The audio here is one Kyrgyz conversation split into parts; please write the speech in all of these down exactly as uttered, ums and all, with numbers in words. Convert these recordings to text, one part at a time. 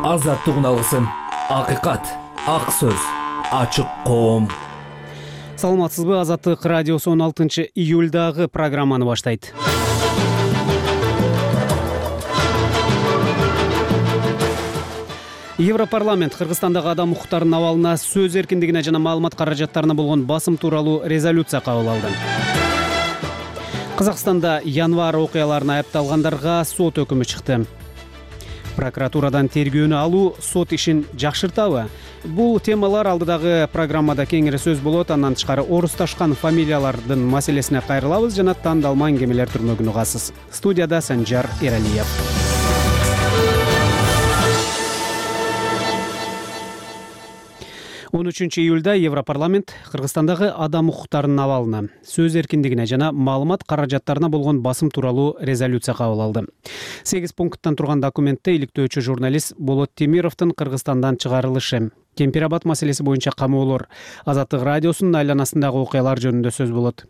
азаттык алгысым, акыйкат, ак сөз, ачык коом. Саламатсызбы, Азаттык радиосу он алтынчы июлдагы программаны баштайт. Европарламент Кыргызстандагы адам укуктарынын абалына, сөз эркиндигине жана маалымат каражаттарына болгон басым тууралуу резолюция кабыл алды. Казакстанда январь окуяларына айыпталгандарга сот өкүмү чыкты. Прокуратурадан тергөөнү алуу сот ишин жакшыртабы? Бул темалар алдыдагы программада кеңири сөз болот. Андан тышкары орусташкан фамилиялардын маселесине кайрылабыз жана тандалма аңгемелер түрмөгүн угасыз. Студияда Санжар Эралиев. он үчүнчү июлда Европарламент Кыргызстандагы адам укуктарынын абалына, сөз эркиндигине жана маалымат каражаттарына болгон басым тууралуу резолюция кабыл алды. сегиз пункттан турган документте иликтөөчү журналист Болот Темировдун Кыргызстандан чыгарылышы, Кемпир Абад маселеси боюнча камоолор, Азаттык радиосунун айланасындагы окуялар жөнүндө сөз болот.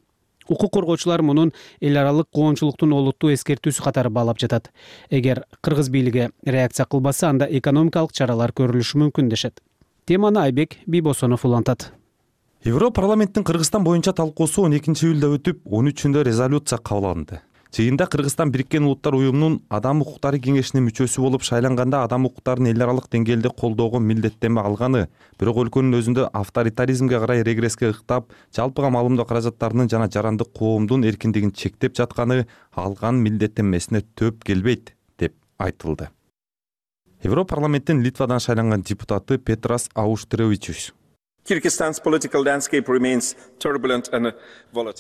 Укук коргоочулар мунун эл аралык коомчулуктун олуттуу эскертүүсү катары баалап жатат. Эгер кыргыз бийлиги реакция кылбаса, анда экономикалык чаралар көрүлүшү мүмкүн дешет. Теманы Айбек Бийбосонов улантат. Европарламенттин Кыргызстан боюнча талкуусу он экинчи июлда өтүп, он үчүндө резолюция кабыл алынды. Жыйында Кыргызстан Бириккен Улуттар уюмунун Адам укуктары кеңешинин мүчөсү болуп шайланганда адам укуктарын эл аралык деңгээлде колдоого милдеттенме алганы, бирок өлкөнүн өзүндө авторитаризмге карай регресске ыктап, жалпыга маалымдоо каражаттарынын жана жарандык коомдун эркиндигин чектеп жатканы алган милдеттенмесине төп келбейт деп айтылды. Европарламенттин Литвадан шайланган депутаты Петрас Ауштревичус: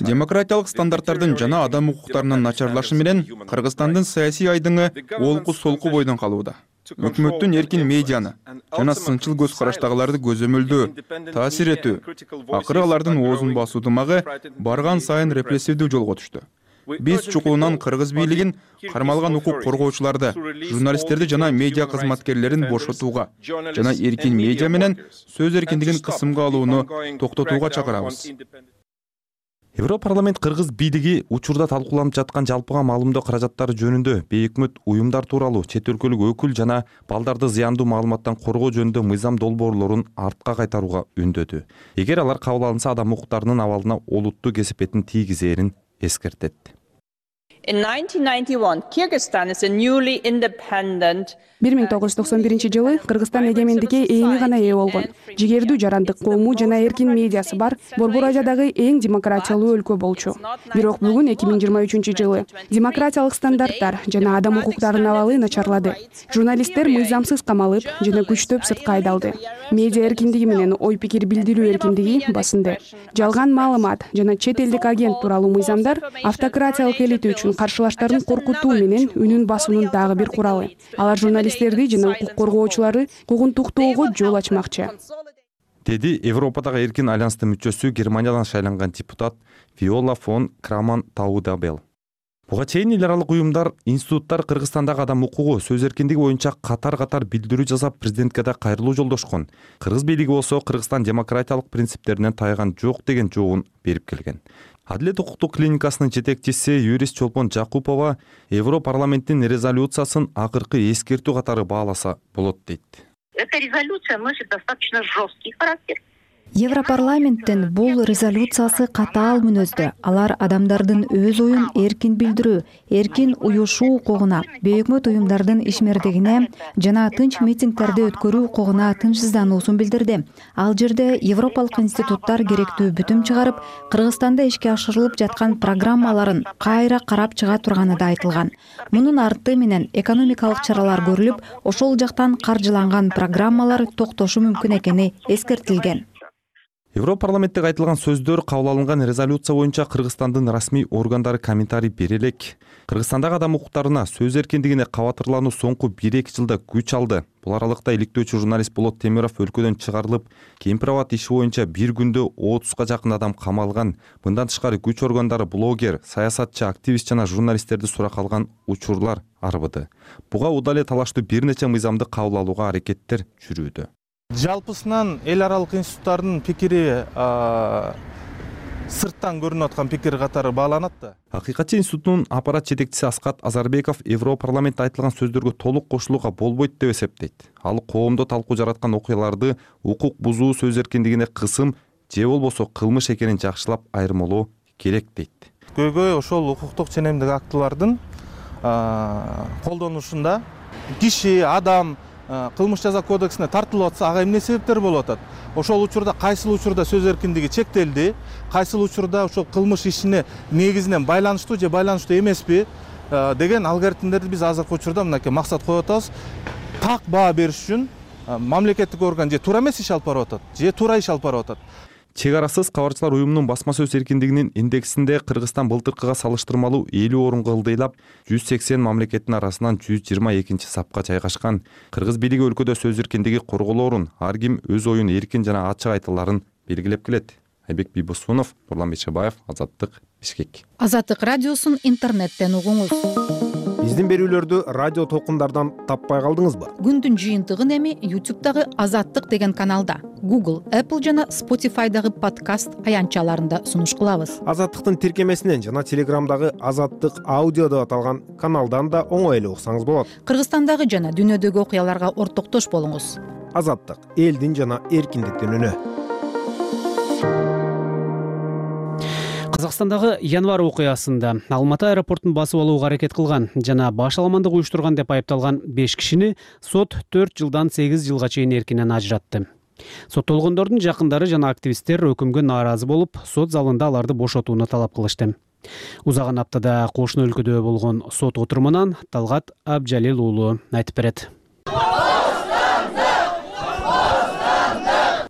демократиялык стандарттардын жана адам укуктарынын начарлашы менен Кыргызстандын саясий айдыңы олку-солку бойдон калууда. Өкмөттүн эркин медианы жана сынчыл көз караштагыларды көзөмөлдөө, таасир этүү, акыры алардын оозун басуу дымагы барган сайын репрессивдүү жолго түштү. Биз чукулунан кыргыз бийлигин кармалган укук коргоочуларды, журналисттерди жана медиа кызматкерлерин бошотууга жана эркин медиа менен сөз эркиндигин кысымга алууну токтотууга чакырабыз. Европарламент кыргыз бийлиги учурда талкууланып жаткан жалпыга маалымдоо каражаттары жөнүндө бейөкмөт уюмдар тууралуу чет өлкөлүк өкүл жана балдарды зыяндуу маалыматтан коргоо жөнүндө мыйзам долбоорлорун артка кайтарууга үндөдү. Эгер алар кабыл алынса, адам укуктарынын абалына олуттуу кесепетин тийгизээрин эскертет. бир миң тогуз жүз токсон биринчи жылы Кыргызстан эгемендикке эми гана ээ болгон, жигердүү жарандык коому жана эркин медиасы бар Борбор Азиядагы эң демократиялуу өлкө болчу. Бирок бүгүн эки миң жыйырма үчүнчү жылы демократиялык стандарттар жана адам укуктарынын абалы начарлады. Журналисттер мыйзамсыз камалып жана күчтөп сыртка айдалды. Медиа эркиндиги менен ой пикир билдирүү эркиндиги басынды. Жалган маалымат жана чет элдик агент тууралуу мыйзамдар автократиялык элита үчүн каршылаштарын коркутуу менен үнүн басуунун дагы бир куралы. Алар журналисттерди жана укук коргоочуларды куугунтуктоого жол ачмакчы, деди Европадагы эркин альянстын мүчөсү, Германиядан шайланган депутат Виола фон Краман Таудабел. Буга чейин эл аралык уюмдар, институттар Кыргызстандагы адам укугу, сөз эркиндиги боюнча катар-катар билдирүү жасап, президентке да кайрылуу жолдошкон. Кыргыз бийлиги болсо Кыргызстан демократиялык принциптеринен тайган жок деген жообун берип келген. Адилет укуктук клиникасынын жетекчиси юрист Чолпон Жакупова Европарламенттин резолюциясын акыркы эскертүү катары бааласа болот дейт. Эта резолюция носит достаточно жесткий характер. Европарламенттин бул резолюциясы катаал мүнөздө. Алар адамдардын өз оюн эркин билдирүү, эркин уюшуу укугуна, бейөкмөт уюмдардын ишмердигине жана тынч митингдерди өткөрүү укугуна тынчсыздануусун билдирди. Ал жерде европалык институттар керектүү бүтүм чыгарып, Кыргызстанда ишке ашырылып жаткан программаларын кайра карап чыга турганы да айтылган. Мунун арты менен экономикалык чаралар көрүлүп, ошол жактан каржыланган программалар токтошу мүмкүн экени эскертилген. Европарламентте айтылган сөздөр, кабыл алынган резолюция боюнча Кыргызстандын расмий органдары комментарий бере элек. Кыргызстандагы адам укуктарына, сөз эркиндигине кабатырлануу соңку бир эки жылда күч алды. Бул аралыкта иликтөөчү журналист Болот Темиров өлкөдөн чыгарылып, Кемпир Абад иши боюнча бир күндө отузга жакын адам камалган. Мындан тышкары күч органдары блогер, саясатчы, активист жана журналисттерди суракка алган учурлар арбыды. Буга удал эле талаштуу бир нече мыйзамды кабыл алууга аракеттер жүрүүдө. Жалпысынан эл аралык институттардын пикири сырттан көрүнүп аткан пикир катары бааланат да. Акыйкатчы институтунун аппарат жетекчиси Аскат Азарбеков Европарламентте айтылган сөздөргө толук кошулууга болбойт деп эсептейт. Ал коомдо талкуу жараткан окуяларды укук бузуу, сөз эркиндигине кысым же болбосо кылмыш экенин жакшылап айырмалоо керек дейт. Көйгөй ошол укуктук ченемдик актылардын колдонушунда киши, адам кылмыш жаза кодексине тартылып атса, ага эмне себептер болуп атат? Ошол учурда кайсыл учурда сөз эркиндиги чектелди, кайсыл учурда ошол кылмыш ишине негизинен байланыштуу же байланыштуу эмеспи деген алгоритмдерди биз азыркы учурда мынакей максат коюп атабыз. Так баа бериш үчүн мамлекеттик орган же туура эмес иш алып барып атат, же туура иш алып барып атат. Чек арасыз кабарчылар уюмунун басма сөз эркиндигинин индексинде Кыргызстан былтыркыга салыштырмалуу элүү орунга ылдыйлап жүз сексен мамлекеттин арасынан жүз жыйырма экинчи сапка жайгашкан. Кыргыз бийлиги өлкөдө сөз эркиндиги корголоорун, ар ким өз оюн эркин жана ачык айта аларын белгилеп келет. Айбек Бийбосунов, Нурлан Бейшебаев, Азаттык, Бишкек. Азаттык радиосун интернеттен угуңуз. Биздин берүүлөрдү радио толкундардан таппай калдыңызбы? Күндүн жыйынтыгын эми ютубтагы Азаттык деген каналда, Google, Apple жана Spotify'дагы подкаст аянтчаларында сунуш кылабыз. Азаттыктын тиркемесинен жана Телеграмдагы Азаттык аудио деп аталган каналдан да оңой эле уксаңыз болот. Кыргызстандагы жана дүйнөдөгү окуяларга ортоктош болуңуз. Азаттык — элдин жана эркиндиктин үнү. Казакстандагы январь окуясында Алматы аэропортун басып алууга аракет кылган жана башаламандык уюштурган деп айыпталган беш кишини сот төрт жылдан сегиз жылга чейин эркинен ажыратты. Соттолгондордун жакындары жана активисттер өкүмгө нааразы болуп, сот залында аларды бошотууну талап кылышты. Узаган аптада кошуна өлкөдө болгон сот отурумунан Талгат Абжалил уулу айтып берет.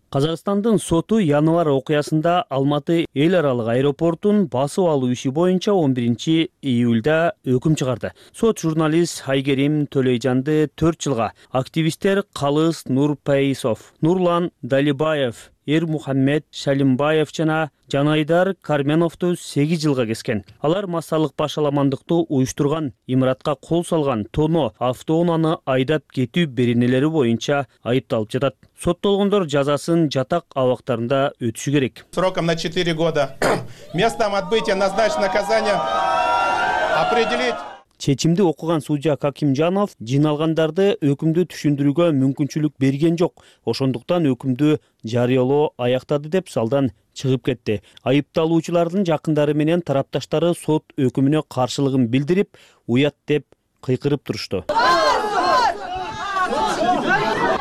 Казакстандын соту январь окуясында Алматы эл аралык аэропортун басып алуу иши боюнча он биринчи июлда өкүм чыгарды. Сот журналист Айгерим Төлөйжанды төрт жылга, активисттер Калыс Нурпейисов, Нурлан Далибаев, Эрмухаммед Шалимбаев жана Жанайдар Карменовду сегиз жылга кескен. Алар массалык башаламандыкты уюштурган, имаратка кол салган, тоно, автоунааны айдап кетүү беренелери боюнча айыпталып жатат. Соттолгондор жазасын жатак абактарында өтүшү керек. Сроком на четыре года. Местом отбытия назначено наказание определить. Чечимди окуган судья Какимжанов жиналгандарды өкүмдү түшүндүрүүгө мүмкүнчүлүк берген жок. Ошондуктан өкүмдү жарыялоо аяктады деп залдан чыгып кетти. Айыпталуучулардын жакындары менен тарапташтары сот өкүмүнө каршылыгын билдирип, уят деп кыйкырып турушту.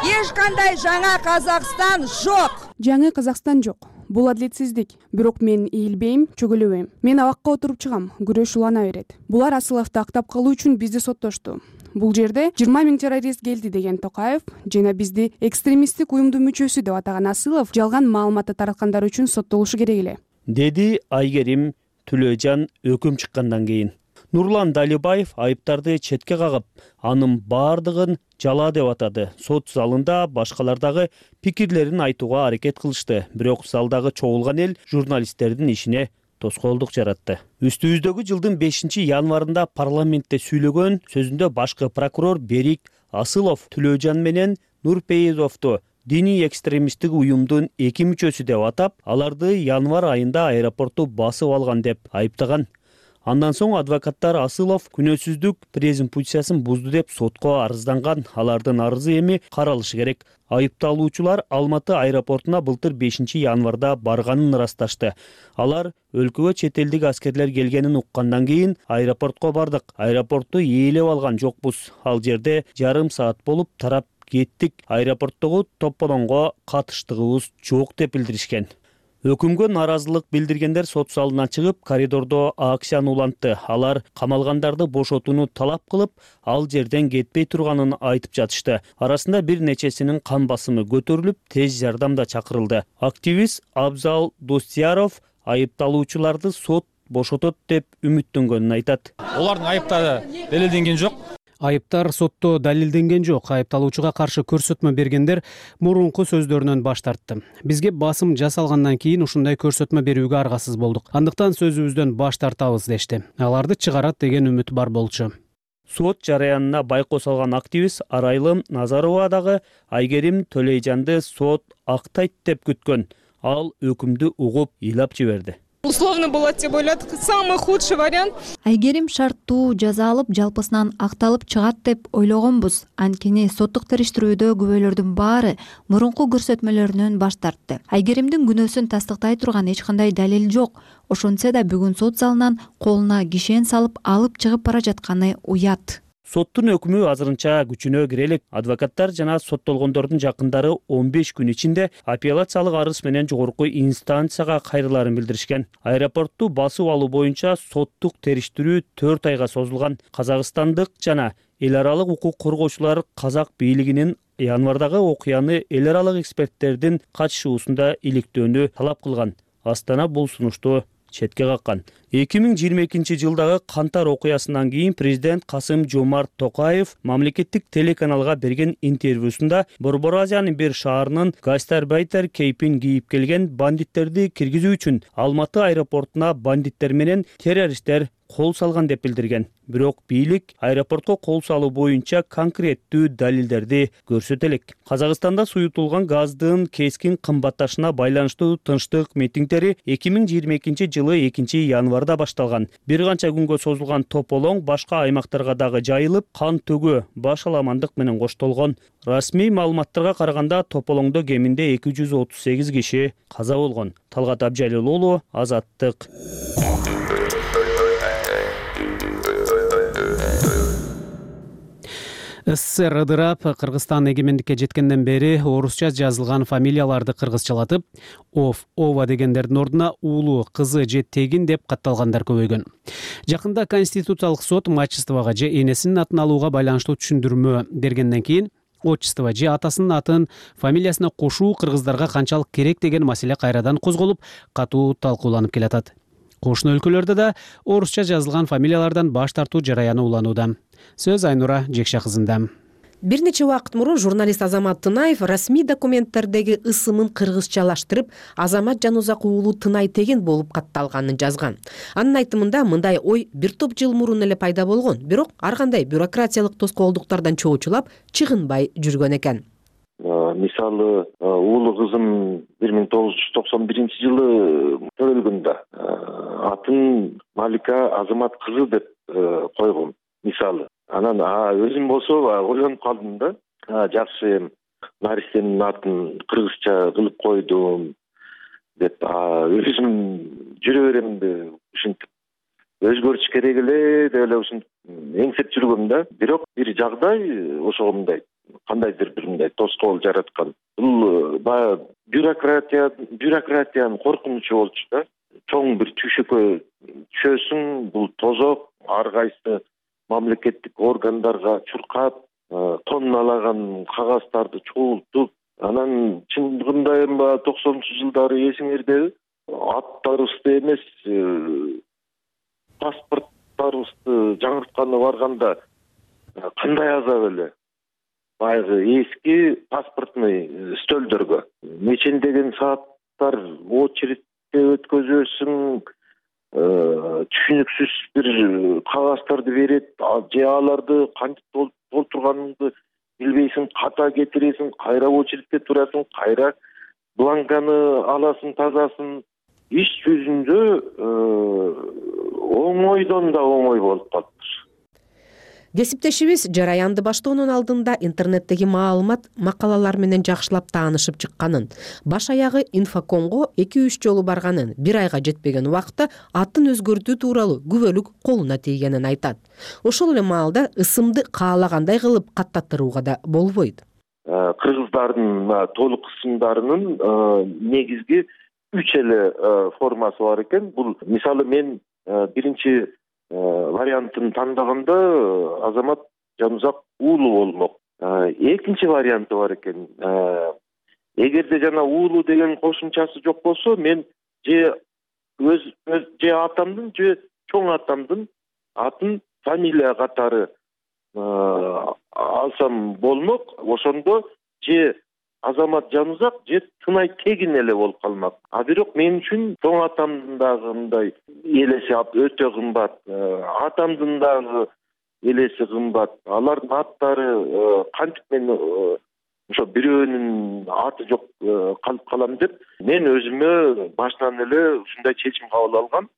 Эч кандай жаңа Казакстан жок. Жаңы Казакстан жок. Бул адилетсиздик. Бирок мен ийилбейм, чөгөлөбөйм. Мен абакка отуруп чыгам, күрөш улана берет. Булар Асыловду актап калуу үчүн бизди соттошту. Бул жерде жыйырма миң террорист келди деген Токаев жана бизди экстремисттик уюмдун мүчөсү деп атаган Асылов жалган маалыматты тараткандар үчүн соттолушу керек эле, деди Айгерим Төлөйжан өкүм чыккандан кийин. Нурлан Далибаев айыптарды четке кагып, анын баардыгын жала деп атады. Сот залында башкалардагы пикирлерин айтууга аракет кылышты, бирок залдагы чогулган эл журналисттердин ишине тоскоолдук жаратты. Үстүбүздөгү жылдын бешинчи январында парламентте сүйлөгөн сөзүндө башкы прокурор Берик Асылов Төлөйжан менен Нурпейизовду диний экстремисттик уюмдун эки мүчөсү деп атап, аларды январь айында аэропорту басып алган деп айыптаган. Андан соң адвокаттар Асылов күнөөсүздүк презумпциясын бузду деп сотко арызданган. Алардын арызы эми каралышы керек. Айыпталуучулар Алматы аэропортуна былтыр бешинчи январда барганын ырасташты. Алар өлкөгө чет элдик аскерлер келгенин уккандан кийин аэропортко бардык. Аэропортту ээлеп алган жокпуз. Ал жерде жарым саат болуп тарап кеттик. Аэропорттогу топполоңго катыштыгыбыз жок деп билдиришкен. Өкүмгө нааразылык билдиргендер сот залына чыгып, коридордо акцияны улантты. Алар камалгандарды бошотууну талап кылып, ал жерден кетпей турганын айтып жатышты. Арасында бир нечесинин кан басымы көтөрүлүп, тез жардам да чакырылды. Активист Абзал Достияров айыпталуучуларды сот бошотот деп үмүттөнгөнүн айтат. Олардын айыптары далилденген жок. Айыптар сотто далилденген жок. Айыпталуучуга каршы көрсөтмө бергендер мурунку сөздөрүнөн баш тартты. Бизге басым жасалгандан кийин ушундай көрсөтмө берүүгө аргасыз болдук. Андыктан сөзүбүздөн баш тартабыз дешти. Аларды чыгарат деген үмүт бар болчу. Сот жараянына байкоо салган активист Арайлым Назарова дагы Айгерим Төлөйжанды сот актайт деп күткөн. Ал өкүмдү угуп ыйлап жиберди. Условно болот деп ойладык. Самый худший вариант. Айгерим шарттуу жаза алып, жалпысынан акталып чыгат деп ойлогонбуз. Анткени соттук териштирүүдө күбөлөрдүн баары мурунку көрсөтмөлөрүнөн баш тартты. Айгеримдин күнөөсүн тастыктай турган эч кандай далил жок. Ошентсе да бүгүн сот залынан колуна кишен салып алып чыгып бара жатканы уят. Соттун өкүмү азырынча күчүнө кире элек. Адвокаттар жана соттолгондордун жакындары он беш күн ичинде апелляциялык арыз менен жогорку инстанцияга кайрылаарын билдиришкен. Аэропортту басып алуу боюнча соттук териштирүү төрт айга созулган. Казакстандык жана эл аралык укук коргоочулар казак бийлигинин январдагы окуяны эл аралык эксперттердин катышуусунда иликтөөнү талап кылган. Астана бул сунушту четке каккан. эки миң жыйырма экинчи жылдагы кантар окуясынан кийин президент Касым Жомарт Токаев мамлекеттик телеканалга берген интервьюсунда Борбор Азиянын бир шаарынын гастарбайтер кейпин кийип келген бандиттерди киргизүү үчүн Алматы аэропортуна бандиттер менен террористтер кол салган деп билдирген. Бирок бийлик аэропортко кол салуу боюнча конкреттүү далилдерди көрсөтө элек. Казакстанда суютулган газдын кескин кымбатташына байланыштуу тынчтык митингдери эки миң жыйырма экинчи жылы экинчи январда башталган. Бир канча күнгө созулган тополоң башка аймактарга дагы жайылып, кан төгүү, баш аламандык менен коштолгон. Расмий маалыматтарга караганда тополоңдо кеминде эки жүз отуз сегиз киши каза болгон. Талгат Абжалил уулу, Азаттык. СССР ыдырап, Кыргызстан эгемендикке жеткенден бери орусча жазылган фамилияларды кыргызчалатып, Ов, Ова дегендердин ордуна уулу, кызы же тегин деп катталгандар көбөйгөн. Жакында Конституциялык сот мачествага же энесинин атын алууга байланыштуу түшүндүрмө бергенден кийин отчество же атасынын атын фамилиясына кошуу кыргыздарга канчалык керек деген маселе кайрадан козголуп, катуу талкууланып келатат. Кошуна өлкөлөрдө да орусча жазылган фамилиялардан баш тартуу жараяны уланууда. Сөз Айнура Жекша кызында. Бир нече убакыт мурун журналист Азамат Тынаев расмий документтердеги ысымын кыргызчалаштырып, Азамат Жанузак уулу Тынай Тегин болуп катталганын жазган. Анын айтымында мындай ой бир топ жыл мурун эле пайда болгон, бирок ар кандай бюрократиялык тоскоолдуктардан чоочулап, чыгынбай жүргөн экен. Мисалы, уулу кызым бир миң тогуз жүз токсон биринчи жылы төрөлгөндө атын Малика Азамат кызы деп койгом. Мисалы, анан өзүм болсо ойлонуп калдым да, жакшы наристенин атын кыргызча кылып койдум деп өзүм жүрө берем деп ушинтип өзгөртүш керек эле деп эле ушинтип эңсеп жүргөм да. Бирок бир жагдай ошого мындай кандайдыр бир мындай тоскоол жараткан. Бул баягы бюрократия бюрократиянын коркунучу болчу да. Чоң бир түйшөккө түшөсүң, бул тозок, ар кайсы мамлекеттик органдарга чуркап, тонналаган кагаздарды чогултуп, анан чындыгында эми токсонунчу жылдары эсиңердеби, аттарыбызды эмес, паспорттарыбызды жаңыртканы барганда кандай азап эле. Баягы эски паспортный стөлдөргө нечендеген сааттар очередте өткөзөсүң, түшүнүксүз бир кагаздарды берет, же аларды кантип толтурганыңды билбейсиң, ката кетиресиң, кайра очередте турасың, кайра бланканы аласың, тазасын. Иш жүзүндө оңойдон да оңой болуп калыптыр. Кесиптешибиз жараянды баштоонун алдында интернеттеги маалымат, макалалар менен жакшылап таанышып чыкканын, баш аягы инфокомго эки үч жолу барганын, бир айга жетпеген убакытта атын өзгөртүү тууралуу күбөлүк колуна тийгенин айтат. Ошол эле маалда ысымды каалагандай кылып каттаттырууга да болбойт. Кыргыздардын толук ысымдарынын негизги үч эле формасы бар экен. Бул мисалы мен биринчи вариантын тандаганда Азамат Жанузак уулу болмок. Экинчи варианты бар экен. Эгерде жана уулу деген кошумчасы жок болсо, мен же өз же атамдын же чоң атамдын атын фамилия катары алсам болмок. Ошондо же Азамат Жанузак же Тынай Тегин эле болуп калмак. А бирок мен үчүн чоң атамдын дагы мындай элеси өтө кымбат, атамдын дагы элеси кымбат. Алардын аттары кантип мен ошо бирөөнүн аты жок калып калам деп мен өзүмө башынан эле ушундай чечим кабыл алгам.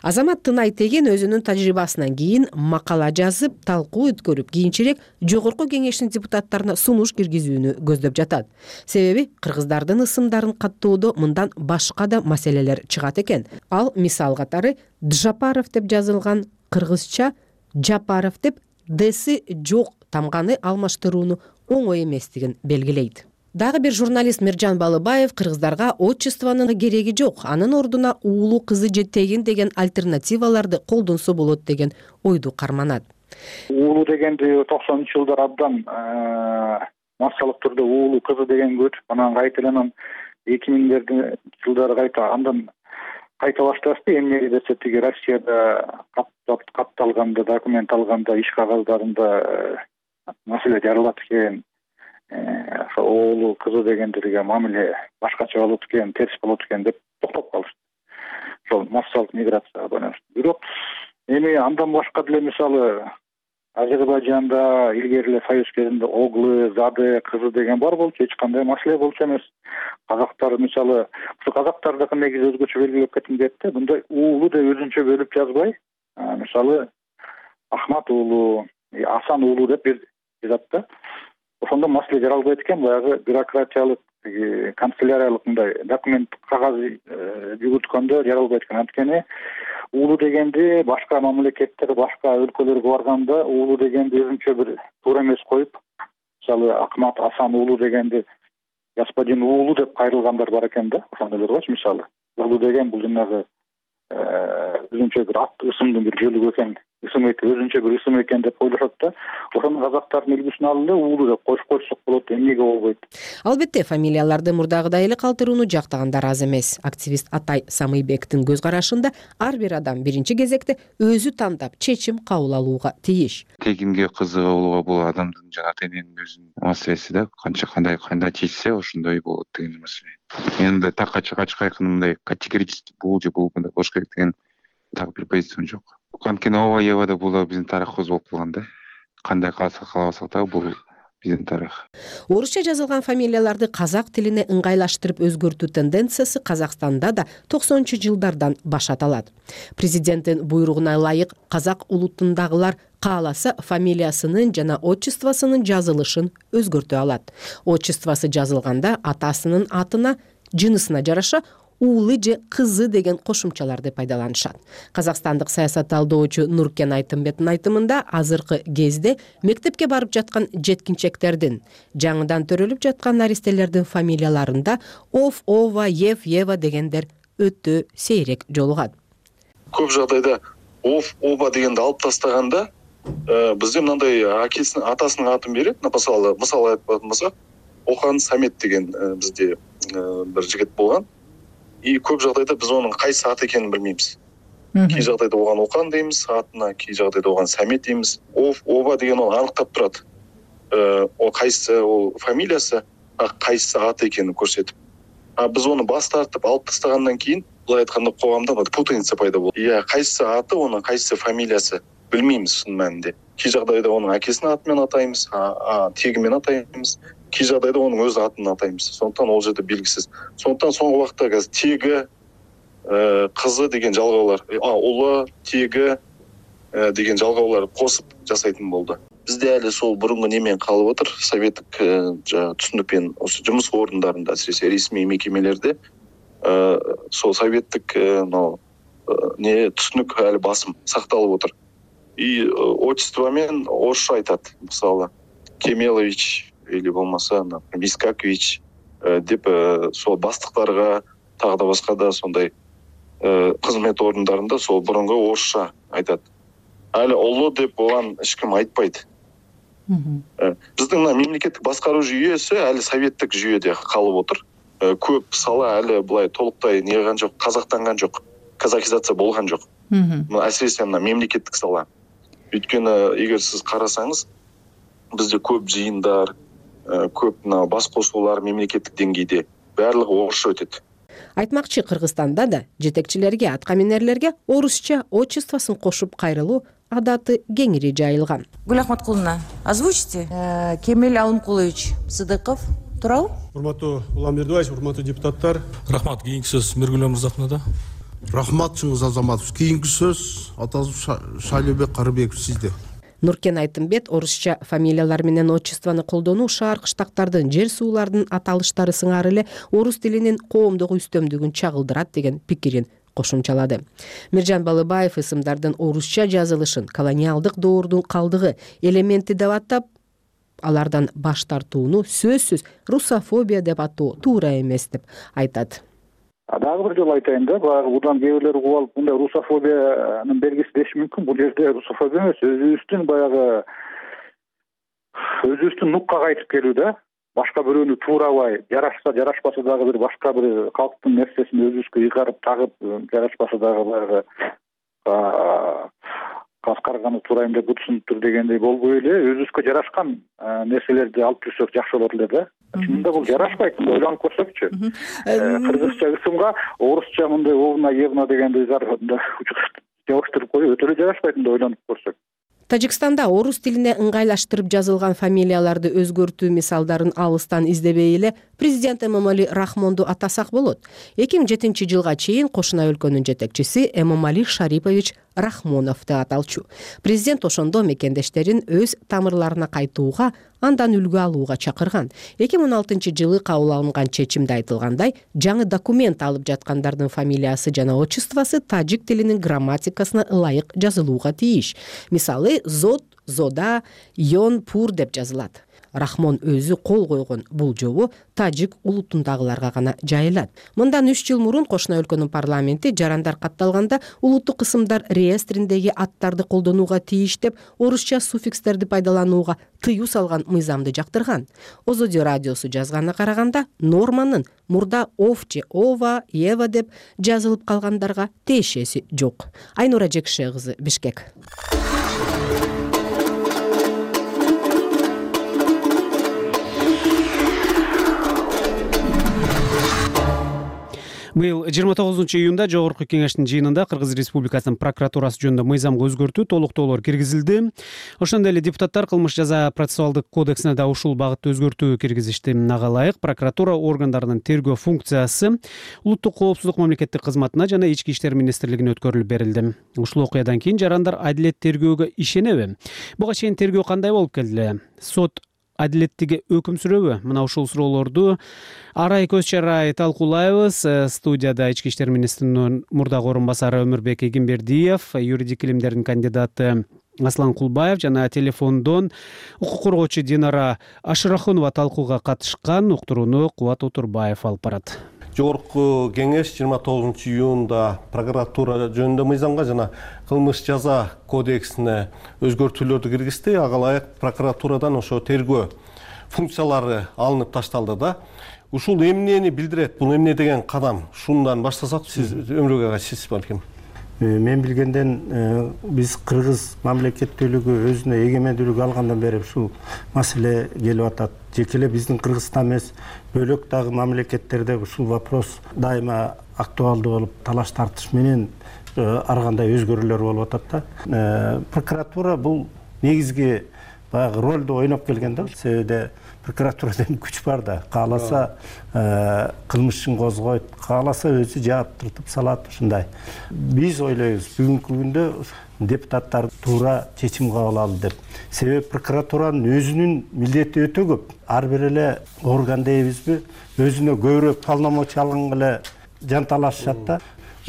Азамат Тынай Теген өзүнүн тажрыйбасынан кийин макала жазып, талкуу өткөрүп, кийинчерээк жогорку кеңештин депутаттарына сунуш киргизүүнү көздөп жатат. Себеби кыргыздардын ысымдарын каттоодо мындан башка да маселелер чыгат экен. Ал мисал катары Джапаров деп жазылган кыргызча Жапаров деп дэси жок тамганы алмаштырууну оңой эместигин белгилейт. Дагы бир журналист Миржан Балыбаев кыргыздарга отчествонун кереги жок, анын ордуна уулу кызы же тегин деген альтернативаларды колдонсо болот деген ойду карманат. Уулу дегенди токсонунчу жылдар абдан массалык түрдө уулу кызы деген көчүп, анан кайтадан эки миңдердин жылдары кайта андан кайта башташты. Эмнеге десе тиги Россияда катталганда, документ алганда, иш кагаздарында маселе жаралат экен. Оолу кызы дегендерге мамиле башкача болот экен, терс болот экен деп токтоп калышты. Ошол массалык миграцияга байланыштуу. Бирок эми андан башка деле мисалы Азербайжанда илгери эле союз кезинде оглы, зады кызы деген бар болчу, эч кандай маселе болчу эмес. Казактар мисалы, ушу казактардыкы негизи өзгөчө белгилеп кетим дейт да, мындай уулу деп өзүнчө бөлүп жазбай, мисалы Ахмат уулу, Асан уулу деп жазат да. Ошондо маселе жаралбайт экен, баягы бюрократиялык, канцеляриялык мындай документ кагаз жүгүрткөндө жаралбайт экен. Анткени уулу дегенди башка мамлекеттер, башка өлкөлөргө барганда уулу дегенди өзүнчө бир туура эмес коюп, мисалы Ахмат Асан уулу дегенди господин уулу деп кайрылгандар бар экен да, ошондойлор болчу мисалы. Уулу деген бул жанагы өзүнчө бир ат ысымдын бир бөлүгү экен, ысым экен, өзүнчө бир ысым экен деп ойлошот да. Ошону казактардын үлгүсүн алып эле уулу деп коюп койсок болот, эмнеге болбойт? Албетте, фамилияларды мурдагыдай эле калтырууну жактагандар аз эмес. Активист Атай Самыйбектин көз карашында ар бир адам биринчи кезекте өзү тандап чечим кабыл алууга тийиш. Тегинге кызыга болууга бул адамдын жана тененин өзүнүн маселеси да, канча кандай кандай чечсе ошондой болот деген маселе. Мен мындай такка чыккан мындай категорически бул же бул мындай болуш керек деген так бир позициям жок. Анткени ооба ебада бул да биздин тарыхыбыз болуп калган да. Кандай калса калабасак да бул биздин тарых. Орусча жазылган фамилияларды казак тилине ыңгайлаштырып өзгөртүү тенденциясы Казакстанда да токсонунчу жылдардан башат алат. Президенттин буйругуна ылайык казак улутундагылар кааласа фамилиясынын жана отчествосунун жазылышын өзгөртө алат. Отчествосы жазылганда атасынын атына, жынысына жараша уулы же кызы деген кошумчаларды пайдаланышат. Казакстандык саясат талдоочу Нуркен Айтымбеттин айтымында азыркы кезде мектепке барып жаткан жеткинчектердин, жаңыдан төрөлүп жаткан наристелердин фамилияларында Ов, Ова, Ев, Ева дегендер өтө сейрек жолугат. Көп жагдайда Ов, Ова дегенди алып тастаганда бизде мындай акесинин атасынын атын берет. Мисалы, мисалы айтпатын болсок, Охан Самет деген бизде бир жигит болгон. И көп жагдайда биз онун кайсы ат экенин билбейбиз. Кей жагдайда оган Окан дейбиз, атына, кей жагдайда оган Самет дейбиз. Ов, Ова деген onu аныктап турат. О кайсы ол фамилиясы, кайсы аты экенин көрсөтүп. А биз onu бас тартып алып тастагандан кийин, булай айтканда коомдо путаница пайда болот. Иә, кайсы аты, onun кайсы фамилиясы билмейбиз шын мәнинде. Кей жагдайда onun акесинин аты менен атайбыз, а теги менен атайбыз. Кей жагдайда onun өз атын атайбыз. Сондуктан ол жерде белгисиз. Сондуктан соңку убакта азыр теги, кызы деген жалгоолор, а улы, теги деген жалгоолор косуп жасайтын болду. Бизде эле сол бурунку немен калып отур. Советтик түшүнүкпен осы жумуш орундарында, асыресе ресми мекемелерде сол советтик не түшүнүк эле басым сакталып отур. И отчество менен орусча айтат. Мисалы, Кемелович или болмаса Вискакович деп сол бастыктарга тагы да башка да сондай кызмет орундарында сол бурунку орусча айтат. Али улуу деп болгон эч ким айтпайт. Биздин мемлекеттик баскаруу жүйөсү али советтик жүйөдө калып отур. Көп сала али булай толуктай неган жок, казактанган жок, казахизация болгон жок. Асыресе мына мемлекеттик сала. Өйткөнү эгер сиз карасаңыз, бизде көп жыйындар, көп мына бас косуулар мемлекеттик деңгейде баардыгы орусча өтөт. Айтмакчы, Кыргызстанда да жетекчилерге, аткаминерлерге орусча отчествосын кошуп кайрылуу адаты кеңири жайылган. Гүл Ахматкуловна, озвучите. Кемел Алымкулович Сыдыков туурабы? Урматтуу Улам Бердибаевич, урматтуу депутаттар. Рахмат. Кийинки сөз Миргүл Мырзахунада. Рахмат Чыңгыз Азаматов. Кийинки сөз Атазов Шайлообек Карыбеков сизде. Нуркен Айтымбет орусча фамилиялар менен отчествону колдонуу шаар кыштактардын, жер суулардын аталыштары сыңары эле орус тилинин коомдук үстөмдүгүн чагылдырат деген пикирин кошумчалады. Миржан Балыбаев ысымдардын орусча жазылышын колониалдык доордун калдыгы элементи деп атап, алардан баш тартууну сөзсүз русофобия деп атоо туура эмес деп айтат. Дагы бир жолу айтайын да, баягы будан кээ бирлер угуп алып, мындай русофобиянын белгиси деши мүмкүн. Бул жерде русофобия эмес, өзүбүздүн баягы өзүбүздүн нукка кайтып келүү да. Башка бирөөнү туурабай, жарашса, жарашпаса дагы бир башка бир калктын нерсесин өзүбүзгө ыйгарып тагып, жарашпаса дагы баягы каскарганы туурайм деп бутсунуптур дегендей болбой эле, өзүбүзгө жарашкан нерселерди алып жүрсөк жакшы болот эле да. Чынында бул жарашпайт, ойлонуп көрсөкчү. Кыргызча ысымга орусча мындай овна, евна дегенди жабыштырып коюу өтө эле жарашпайт, мындай ойлонуп көрсөк. Тажикстанда орус тилине ыңгайлаштырып жазылган фамилияларды өзгөртүү мисалдарын алыстан издебей эле президент Эмомали Рахмонду атасак болот. эки миң жетинчи жылга чейин кошуна өлкөнүн жетекчиси Эмомали Шарипович Рахмонов деп аталчу. Президент ошондо мекендештерин өз тамырларына кайтууга, андан үлгү алууга чакырган. эки миң он алтынчы жылы кабыл алынган чечимде айтылгандай, жаңы документ алып жаткандардын фамилиясы жана отчествосы тажик тилинин грамматикасына ылайык жазылууга тийиш. Мисалы, зод, зода, йон, пур деп жазылат. Рахмон өзү кол койгон бул жобо тажик улутундагыларга гана жайылат. Мындан үч жыл мурун кошуна өлкөнүн парламенти жарандар катталганда улуттук ысымдар реестриндеги аттарды колдонууга тийиш деп орусча суффикстерди пайдаланууга тыюу салган мыйзамды жактырган. Озодио радиосу жазганына караганда, норманын мурда ов же ова, ева деп жазылып калгандарга тиешеси жок. Айнура Жекше кызы, Бишкек. Быйыл жыйырма тогузунчу июнда Жогорку Кеңештин жыйынында Кыргыз Республикасынын прокуратурасы жөнүндө мыйзамга өзгөртүү, толуктоолор киргизилди. Ошондой эле депутаттар кылмыш жаза процессуалдык кодексине да ушул багытта өзгөртүү киргизишти. Ага ылайык прокуратура органдарынын тергөө функциясы улуттук коопсуздук мамлекеттик кызматына жана ички иштер министрлигине өткөрүлүп берилди. Ушул окуядан кийин жарандар адилет тергөөгө ишенеби? Буга чейин тергөө кандай болуп келди? Сот адилеттиги өкүм сүрөбү? Мына ушул суроолорду Арай Көз Чарай талкуулайбыз. Студияда ички иштер министринин мурдагы орун басары Өмүрбек Эгимбердиев, юридик илимдердин кандидаты Аслан Кулбаев жана телефондон укук коргоочу Динара Ашырахунова талкууга катышкан. Уктурууну Кубат Отурбаев алып барат. Жогорку кеңеш жыйырма тогузунчу июнда прокуратура жөнүндө мыйзамга жана кылмыш жаза кодексине өзгөртүүлөрдү киргизди. Ага ылайык прокуратурадан ошо тергөө функциялары алынып ташталды да. Ушул эмнени билдирет? Бул эмне деген кадам? Шундан баштасак, сиз Өмүрбек ага сиз балким. Мен билгенден биз кыргыз мамлекеттүүлүгү өзүнө эгемендүүлүк алгандан бери ушул маселе келип атат. Жеке эле биздин Кыргызстан эмес, бөлөк дагы мамлекеттерде ушул вопрос дайыма актуалдуу болуп, талаш тартыш менен ар кандай өзгөрүүлөр болуп атат да. Прокуратура бул негизги баягы ролду ойноп келген да. Себеби прокуратурадан күч бар да. Кааласа кылмышын козгойт, кааласа өзү жаап салат ушундай. Биз ойлойбуз бүгүнкү күндө депутаттар туура чечим кабыл алды деп. Себеби прокуратуранын өзүнүн милдети өтө көп. Ар бир эле орган дейбизби, өзүнө көбүрөөк полномочия алган эле жанталашышат да.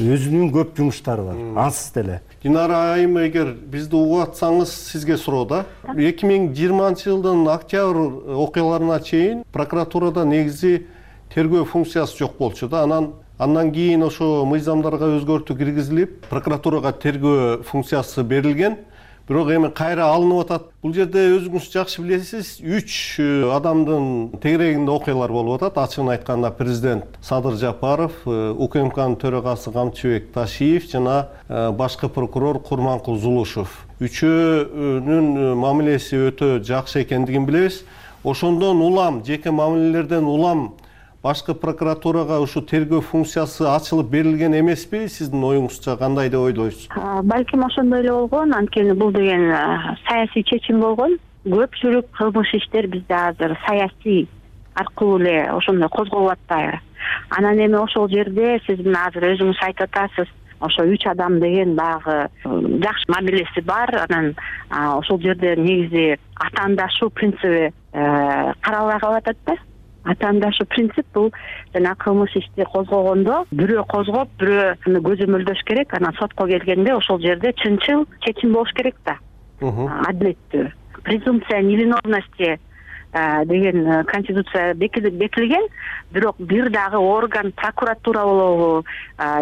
Өзүнүн көп жумуштары бар. Ансыз деле. Динара айым, эгер бизди угуп атсаңыз, сизге суроо да. эки миң жыйырманчы жылдын октябрь окуяларына чейин прокуратурада негизи тергөө функциясы жок болчу да. Анан андан кийин ошо мыйзамдарга өзгөртүү киргизилип, прокуратурага тергөө функциясы берилген. Бирок эми кайра алынып атат. Бул жерде өзүңүз жакшы билесиз, үч адамдын тегерегинде окуялар болуп атат. Ачыгын айтканда президент Садыр Жапаров, УКМКнын төрагасы Камчыбек Ташиев жана башкы прокурор Курманкул Зулушев. Үчөөнүн мамилеси өтө жакшы экендигин билебиз. Ошондон улам, жеке мамилелерден улам башкы прокуратурага ушу тергөө функциясы ачылып берилген эмеспи? Сиздин оюңузча кандай деп ойлойсуз? Балким ошондой эле болгон. Анткени бул деген саясий чечим болгон. Көпчүлүк кылмыш иштер бизде азыр саясий аркылуу эле ошондой козголуп атпайбы? Анан эми ошол жерде сиз мына азыр өзүңүз айтып атасыз, ошо үч адам деген баягы жакшы мамилеси бар. Анан ошол жерде негизи атаандашуу принциби каралбай калып атат да. Атаандашуу принцип бул жана кылмыш ишти козгогондо бирөө козгоп, бирөө көзөмөлдөш керек. Анан сотко келгенде ошол жерде чынчыл чечим болуш керек да. Адилеттүү. Презумпция невиновности деген конституция бекитилген, бирок бир дагы орган, прокуратура болобу,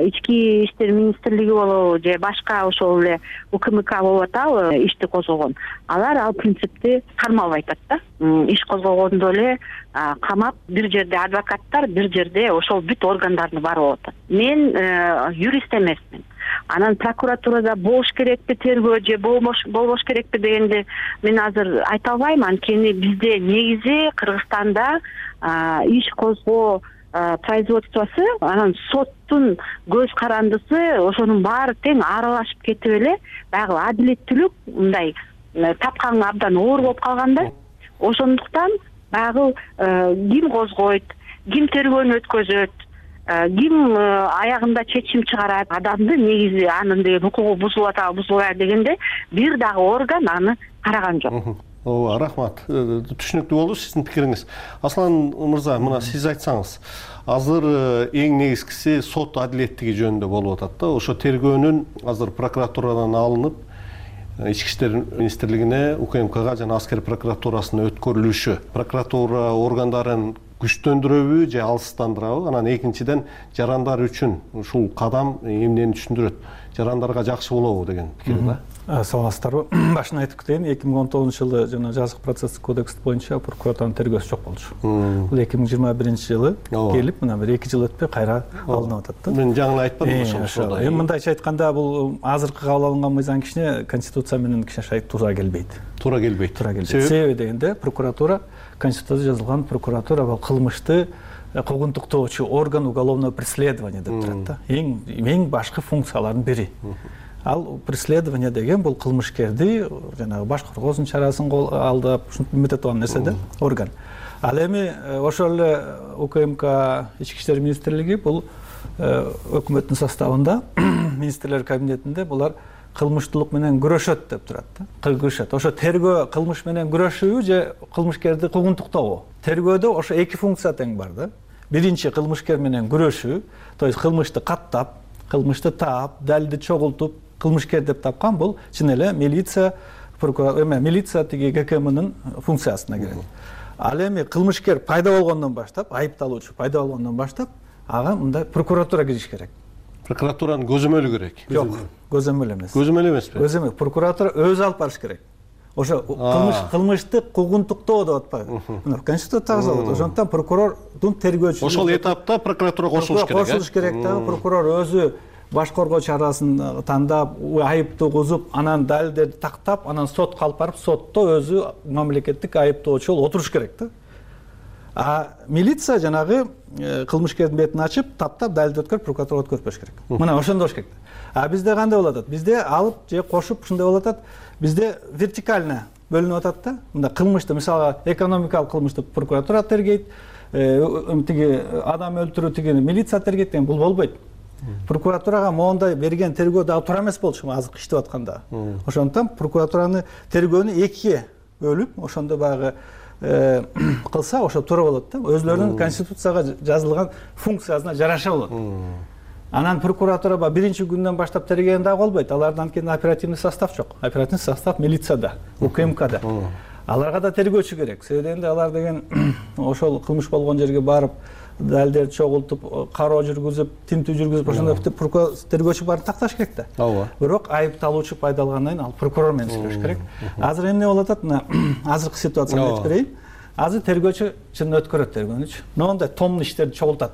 ички иштер министрлиги болобу же башка ошол эле УКМК болуп атабы ишти козгогон. Алар ал принципти кармалбай атат да. Иш козгогондо эле камап, бир жерде адвокаттар, бир жерде ошол бүт органдардын баары болуп атат. Мен юрист эмесмин. Анан прокуратурада болуш керекпи тергөө же болбош керекпи дегенди мен азыр айта албайм. Анткени бизде негизи Кыргызстанда иш козгоо производствосу, анан соттун көз карандысы ошонун баары тең аралашып кетип эле, баягы адилеттүүлүк мындай тапканга абдан оор болуп калганда. Ошондуктан баягы ким козгойт, ким тергөөнү өткөзөт, ким аягында чечим чыгарат, адамды негизи анын деген укугу бузулуп атабы, бузулбайбы дегенде бир дагы орган аны караган жок. Ооба, рахмат. Түшүнүктүү болду сиздин пикириңиз. Аслан мырза, мына сиз айтсаңыз, азыр эң негизгиси сот адилеттиги жөнүндө болуп атат да. Ошо тергөөнүн азыр прокуратурадан алынып, ички иштер министрлигине, УКМКга жана аскер прокуратурасына өткөрүлүшү, прокуратура органдарын күчтөндүрөбү же алыстандырабы? Анан экинчиден, жарандар үчүн ушул кадам эмнени түшүндүрөт? Жарандарга жакшы болобу деген пикир да. Саламатсыздарбы? Башынан айтып кетейин, эки миң он тогузунчу жылы жана жазык процесстик кодекс боюнча прокуратуранын тергөөсү жок болчу. Бул эки миң жыйырма биринчи жылы келип, мына бир эки жыл өтпөй кайра алынып атат да. Мен жаңы айтпадым ошол. Эми мындайча айтканда, бул азыркы кабыл алынган мыйзам кичине конституция менен кичине туура келбейт. Туура келбейт. Туура келбейт. Себеби дегенде, прокуратура, конституцияда жазылган прокуратура бул кылмышты куугунтуктоочу орган уголовного преследования деп турат да. Эң эң башкы функциялардын бири. Ал преследование деген бул кылмышкерди жанагы баш коргоосунун чарасын алдап, ушинтип үмүт алган нерсе да, орган. Ал эми ошол эле УКМК ички иштер министрлиги бул өкмөттүн составында, министрлер кабинетинде булар кылмыштуулук менен күрөшөт деп турат да. Күрөшөт. Ошо тергөө кылмыш менен күрөшүү же кылмышкерди куугунтуктообу. Тергөөдө ошо эки функция тең бар да. Биринчи кылмышкер менен күрөшүү, то есть кылмышты каттап, кылмышты таап, далилди чогултуп, кылмышкер деп тапкан бул чын эле милиция, прокуратура, эме милиция тиги ГКМнын функциясына кирет. Ал эми кылмышкер пайда болгондон баштап, айыпталуучу пайда болгондон баштап, ага мындай прокуратура кириш керек. Прокуратуранын көзөмөлү керек. Жок, көзөмөл эмес. Көзөмөл эмеспи? Көзөмөл. Прокуратура өзү алып барыш керек. Ошо кылмыш кылмышты куугунтуктоо деп атпайбы? Мына конституцияда жазылат. Ошондуктан прокурордун тергөөчүсү ошол этапта прокуратура кошулуш керек. Кошулуш керек да. Прокурор өзү баш коргоо чарасын тандап, айыпты кузуп, анан далилдерди тактап, анан сотко алып барып, сотто өзү мамлекеттик айыптоочу болуп отуруш керек да. А милиция жанагы кылмышкердин бетин ачып, таптап, далилди өткөрүп, прокуратурага өткөрүп бериш керек. Мына ошондой болуш керек. А бизде кандай болуп атат? Бизде алып же кошуп ушундай болуп атат. Бизде вертикально бөлүнүп атат да. Мында кылмышты, мисалга, экономикалык кылмышты прокуратура тергейт, тиги адам өлтүрүү тигини милиция тергейт деген бул болбойт. Прокуратурага моундай берген тергөө дагы туура эмес болчу азыр иштеп атканда. Ошондуктан прокуратураны тергөөнү экиге бөлүп, ошондо баягы кылса ошо туура болот да. Өзлөрүнүн конституцияга жазылган функциясына жараша болот. Анан прокуратура биринчи күндөн баштап тергеген дагы болбойт. Алардан кийин оперативный состав жок. Оперативный состав милицияда, УКМКда. Аларга да тергөөчү керек. Себеби дегенде алар деген ошол кылмыш болгон жерге барып, далилдерди чогултуп, кароо жүргүзүп, тинтүү жүргүзүп, ошондой тергөөчү барып такташ керек да. Ооба. Бирок айыпталуучу пайда алгандан кийин ал прокурор менен сүйлөшүш керек. Азыр эмне болуп атат? Мына азыркы ситуацияны айтып берейин. Азыр тергөөчү чын өткөрөт тергөөнүчү. Моундай томдуу иштерди чогултат.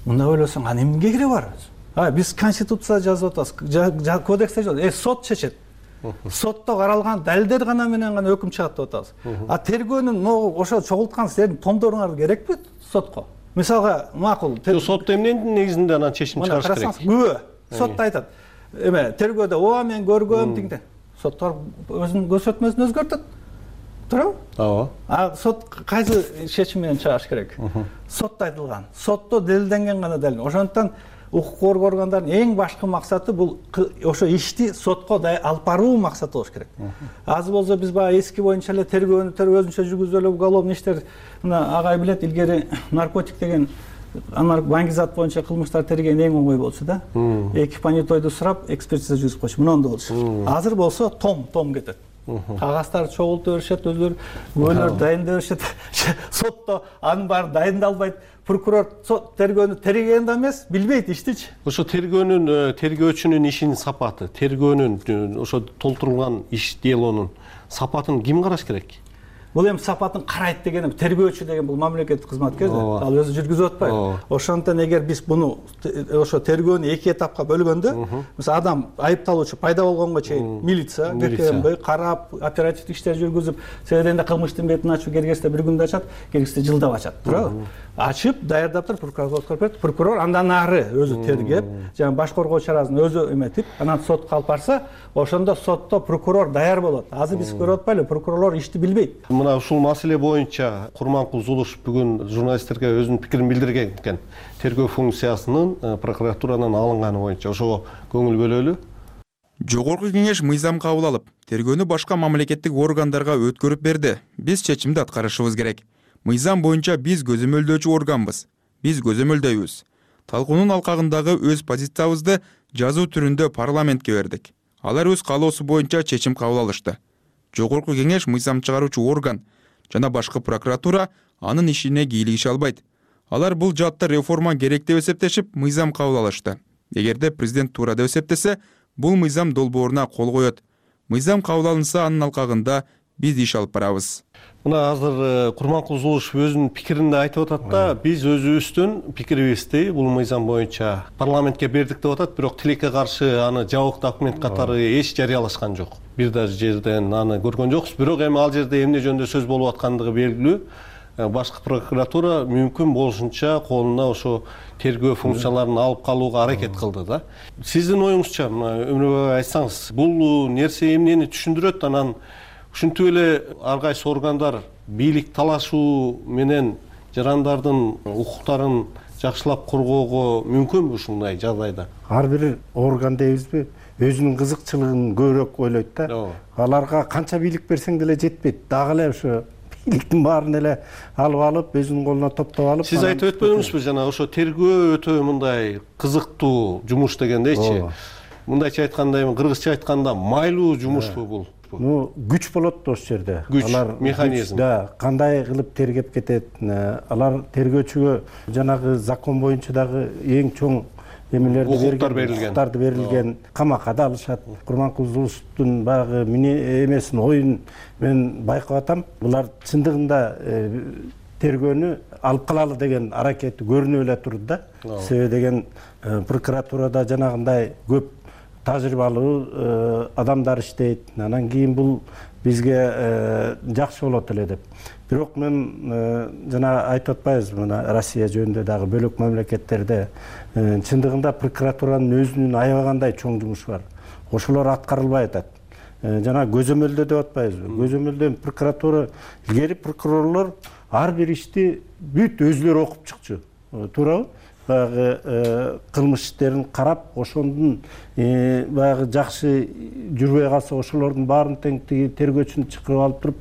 Мында ойлосоң, а эмнеге кереги бар? А биз конституцияда жазып атабыз, кодексте жазып, э сот чечет. Сотто каралган далилдер гана менен өкүм чыгат деп атабыз. А тергөөнүн ошо чогулткан силердин томдоруңар керекпи сотко? мисалга макул сотто эмненин негизинде анан чечим чыгарыш керек? Күбө сотто айтат эме тергөөдө ооба мен көргөм тигинден соттор өзүнүн көрсөтмөсүн өзгөртөт туурабы? Ооба. А сот кайсы чечим менен чыгарыш керек? Сотто айтылган, сотто далилденген гана далил. Ошондуктан укук коргоо органдарынын эң башкы максаты бул ошо ишти сотко алып баруу максаты болуш керек. Азыр болсо биз баягы эски боюнча эле тергөөнү өзүнчө жүргүзүп эле уголовный иштер, мына агай билет, илгери наркотик деген баңгизат боюнча кылмыштар терген эң оңой болчу да. Эки понятойду сурап, экспертиза жүргүзүп койчу. Мындай болчу. Азыр болсо том том кетет. Кагаздарды чогултуп беришет, өзүлөрү күбөлөр дайындап беришет. Сотто анын баары дайындалбайт. Прокурор тергөөнү тергеген да эмес, билбейт иштичи. Ошо тергөөнүн, тергөөчүнүн ишинин сапаты, тергөөнүн ошо толтурулган иш делонун сапатын ким караш керек? Бул эми сапатын карайт дегени тергөөчү деген бул мамлекеттик кызматкер да. Ал өзү жүргүзүп атпайбы? Ошондон эгер биз буну ошо тергөөнү эки этапка бөлгөндө, мисалы адам айыпталуучу пайда болгонго чейин милиция, КМБ карап, оперативдик иштер жүргүзүп, себебинде кылмыштын бетин ачуу келгесте бир күндө ачат, келгесте жылдап ачат, туурабы? Ачып, даярдап туруп прокурорго берет. Прокурор андан ары өзү тергеп, жана баш коргоо чарасын өзү эметип, анан сотко алып барса, ошондо сотто прокурор даяр болот. Азыр биз көрүп атпайлыбы, прокурорлор ишти билбейт. Мына ушул маселе боюнча Курманкул Зулуш бүгүн журналисттерге өзүнүн пикирин билдирген экен. Тергөө функциясынын прокуратуранын алынганы боюнча ошого көңүл бөлөлү. Жогорку кеңеш мыйзам кабыл алып, тергөөнү башка мамлекеттик органдарга өткөрүп берди. Биз чечимди аткарышыбыз керек. Мыйзам боюнча биз көзөмөлдөөчү органбыз. Биз көзөмөлдөйбүз. Талкуунун алкагындагы өз позициябызды жазуу түрүндө парламентке бердик. Алар өз каалоосу боюнча чечим кабыл алышты. Жогорку кеңеш мыйзам чыгаруучу орган жана башкы прокуратура анын ишине кийлигише албайт. Алар бул жаатта реформа керек деп эсептешип, мыйзам кабыл алышты. Эгерде президент туура деп эсептесе, бул мыйзам долбооруна кол коет. Мыйзам кабыл алынса, анын алкагында биз иш алып барабыз. Мына азыр Курманкул Зулушев өзүнүн пикирин айтып атат да, биз өзүбүздүн пикирибизди бул мыйзам боюнча парламентке бердик деп атат, бирок тилекке каршы аны жабык документ катары эч жарыялашкан жок. Бир да жерден аны көргөн жокпуз, бирок эми ал жерде эмне жөнүндө сөз болуп аткандыгы белгилүү. Башкы прокуратура мүмкүн болушунча колуна ошо тергөө функцияларын алып калууга аракет кылды да. Сиздин оюңузча, Өмүрбек айтсаңыз, бул нерсе эмнени түшүндүрөт? Анан ушинтип эле ар кайсы органдар бийлик талашуу менен жарандардын укуктарын жакшылап коргоого мүмкүнбү ушундай жагдайда? Ар бир орган дейбизби, өзүнүн кызыкчылыгын көбүрөөк ойлойт да. Аларга канча бийлик берсең деле жетпейт. Дагы эле ошо бийликтин баарын эле алып алып, өзүнүн колуна топтоп алып. Сиз айтып өтпөдүңүзбү жана ошо тергөө өтө мындай кызыктуу жумуш дегендейчи? Мындайча айтканда, эми кыргызча айтканда майлуу жумушпу бул? Ну, күч болот да ошол жерде. Күч, механизм. Да, кандай кылып тергеп кетет. Алар тергөөчүгө жанагы закон боюнча дагы эң чоң эмелерди берилген, укуктарды берилген, камакка да алышат. Курманкул Зулушевдун баягы эмесин, оюн мен байкап атам. Булар чындыгында тергөөнү алып калалы деген аракети көрүнүп эле турду да. Себеби деген прокуратурада жанагындай көп тажрыйбалуу адамдар иштейт. Анан кийин бул бизге жакшы болот эле деп. Бирок мен жана айтып атпайбызбы, мына Россия жөнүндө дагы бөлөк мамлекеттерде чындыгында прокуратуранын өзүнүн аябагандай чоң жумушу бар. Ошолор аткарылбай атат. Жана көзөмөлдөө деп атпайбызбы? Көзөмөлдөө прокуратура, илгери прокурорлор ар бир ишти бүт өзүлөрү окуп чыкчу. Туурабы? Баягы кылмыш иштерин карап, ошондун баягы жакшы жүрбөй калса, ошолордун баарын тең тергөөчүнү чакырып алып туруп,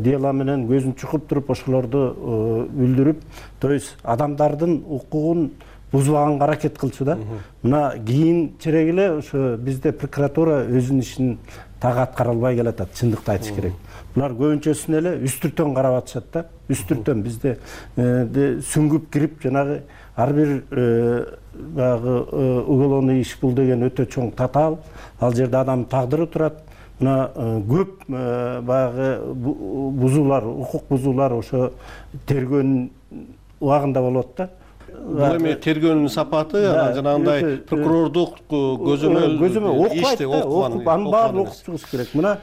дела менен көзүн чукуп туруп, ошолорду билдирип, то есть адамдардын укугун бузбаганга аракет кылчу да. Мына кийинчерээк эле ошо бизде прокуратура өзүнүн ишин так аткара албай келатат, чындыкты айтыш керек. Булар көбүнчөсүн эле үстүртөн карап атышат да. Үстүртөн бизде сүңгүп кирип, жанагы ар бир баягы уголовный иш бул деген өтө чоң татаал. Ал жерде адамдын тагдыры турат. Мына көп баягы бузуулар, укук бузуулар ошо тергөөнүн убагында болот да. Бул эми тергөөнүн сапаты, жанагындай прокурордук көзөмөл ишти окуп, анын баарын окуп чыгыш керек. Мына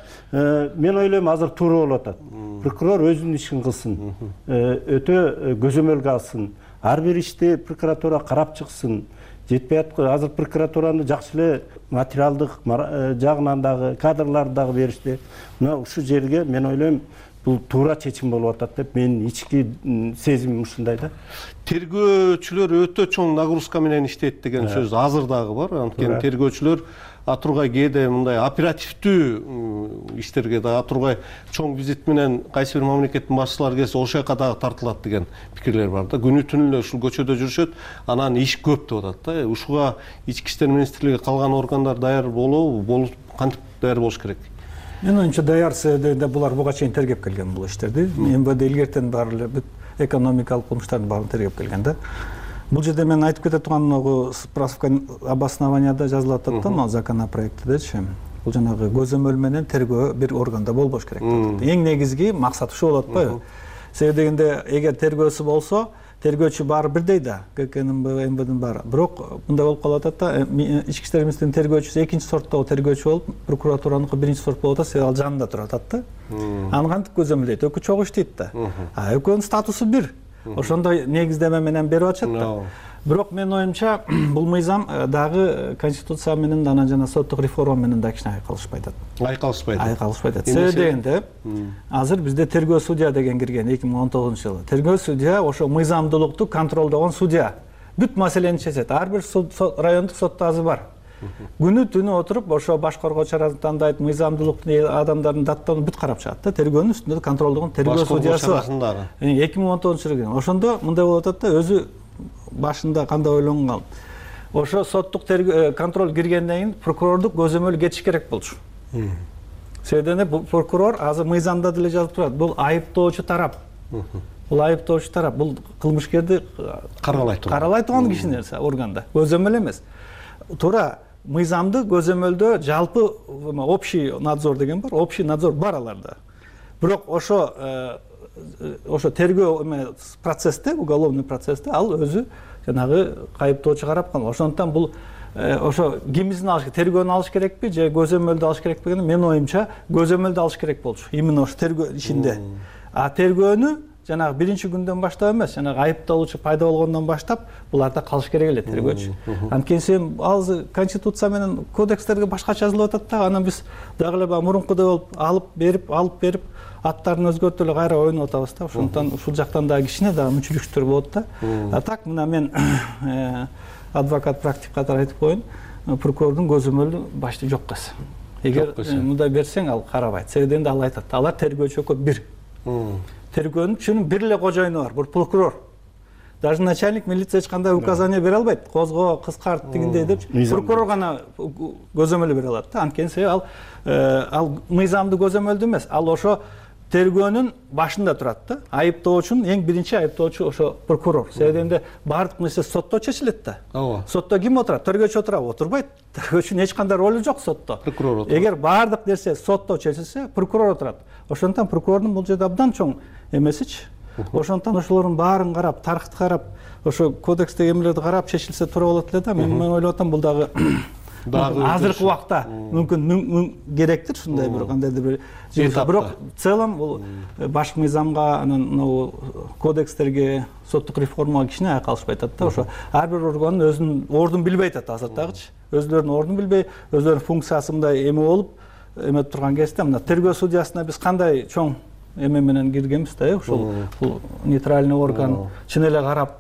мен ойлойм, азыр туура болуп атат. Прокурор өзүнүн ишин кылсын, өтө көзөмөлгө алсын. ар бир ишти прокуратура карап чыксын. Жетпей аткан азыр прокуратураны жакшы эле материалдык жагынан дагы, кадрларды дагы беришти. Мына ушул жерге мен ойлойм бул туура чечим болуп атат деп менин ички сезимим ушундай да. Тергөөчүлөр өтө чоң нагрузка менен иштейт деген сөз азыр дагы бар. Анткени тергөөчүлөр атургай кээде мындай оперативдүү иштерге да атургай чоң визит менен кайсы бир мамлекеттин башчылары келсе ошол жака дагы тартылат деген пикирлер бар да. Күнү түнү эле ушул көчөдө жүрүшөт, анан иш көп деп атат да. Ушуга ички иштер министрлиги калган органдар даяр болобу, болуп кантип даяр болуш керек? Менин оюмча даяр себебинде булар буга чейин тергеп келген бул иштерди. эм вэ дэ илгертен баары эле бүт экономикалык кылмыштардын баарын тергеп келген да. Бул жерде мен айтып кете турган справка обоснованияда жазылып атат да, могу законопроекттедечи. Бул жанагы көзөмөл менен тергөө бир органда болбош керек деп. Эң негизги максат ушул болот атпайбы? Себеби дегенде эгер тергөөсү болсо, тергөөчү баары бирдей да, гэ ка эм вэ дин баары. Бирок мындай болуп калып атат да, ички иштер министринин тергөөчүсү экинчи сорттогу тергөөчү болуп, прокуратураныкы биринчи сорт болуп атат, себеби ал жанында турат да. Аны кантип көзөмөлдөйт? Экөө чогуу иштейт да. А экөөнүн статусу бир. Ошондой негиздеме менен берип атышат да. Бирок менин оюмча бул мыйзам дагы конституция менен анан жана соттук реформа менен да кичине айкалышпай атат. Айкалышпайт. Айкалышпайт атат. Себеби дегенде азыр бизде тергөө судья деген кирген эки миң он тогузунчу жылы. Тергөө судья ошо мыйзамдуулукту контролдогон судья. Бүт маселени чечет. Ар бир райондук сотто азыр бар. Күнү түнү отуруп ошо баш коргоо чарасын тандайт, мыйзамдуулукту адамдардын даттарын бүт карап чыгат да. Тергөөнүн үстүндө контролдогон тергөө судьясы бар. эки миң он тогузунчу жылы. Ошондо мындай болуп атат да, өзү башында кандай ойлонгон. Ошо соттук контроль киргенден кийин прокурордук көзөмөл кетиш керек болчу. Себеби бул прокурор азыр мыйзамда деле жазып турат. Бул айыптоочу тарап. Бул айыптоочу тарап. Бул кылмышкерди каралай турган. Каралай турган кишинин органда. Көзөмөл эмес. Туура мыйзамды көзөмөлдөө жалпы общий надзор деген бар. Общий надзор бар аларда. Бирок ошо ошо тергөө процессте, уголовный процессте ал өзү жанагы кайыптоочу карап калган. Ошондуктан бул ошо кимизин алыш, тергөөнү алыш керекпи же көзөмөлдү алыш керекпи деген менин оюмча көзөмөлдү алыш керек болчу. Именно ошо тергөө ишинде. А тергөөнү жанагы биринчи күндөн баштап эмес, жанагы айыпталуучу пайда болгондон баштап буларда калыш керек эле тергөөчү. Анткени сен ал конституция менен кодекстерге башкача жазылып атат да, анан биз дагы эле баягы мурункудай болуп алып берип, алып берип аттарын өзгөртүп эле кайра ойноп атабыз да. Ошондуктан ушул жактан дагы кичине дагы мүчүлүктөр болот да. А так мына мен адвокат практик катары айтып коеюн, прокурордун көзөмөлү башты жок кыз. Эгер мындай берсең ал карабайт. Себеби дегенде ал айтат, алар тергөөчү экөө бир. Тергөөнүн бир эле кожоюну бар, бул прокурор. Даже начальник милиция эч кандай указание бере албайт. Козго, кыскарт дегендей деп прокурор гана көзөмөл бере алат да. Анткени себеби ал ал мыйзамды көзөмөлдү эмес, ал ошо тергөөнүн башында турат да. Айыптоочунун эң биринчи айыптоочу ошо прокурор. Себеби дегенде баардык нерсе сотто чечилет да. Ооба. Сотто ким отурат? Тергөөчү отурабы? Отурбайт. Тергөөчүнүн эч кандай ролу жок сотто. Прокурор отурат. Эгер баардык нерсе сотто чечилсе, прокурор отурат. Ошондуктан прокурордун бул жерде абдан чоң эмесичи. Ошондуктан ошолордун баарын карап, тарыхты карап, ошо кодекстеги эмелерди карап чечилсе туура болот эле да. Мен ойлоп атам бул дагы азыркы убакта мүмкүн керектир ушундай бир кандайдыр бир. Бирок в целом бул башкы мыйзамга, анан могу кодекстерге, соттук реформага кичине айкалышпай атат да. Ошо ар бир органдын өзүнүн ордун билбей атат азыр дагычы. Өзлөрүнүн ордун билбей, өзлөрүнүн функциясы мындай эме болуп эметип турган кезде мына тергөө судьясына биз кандай чоң эме менен киргенбиз да, ушул бул нейтральный орган чын эле карап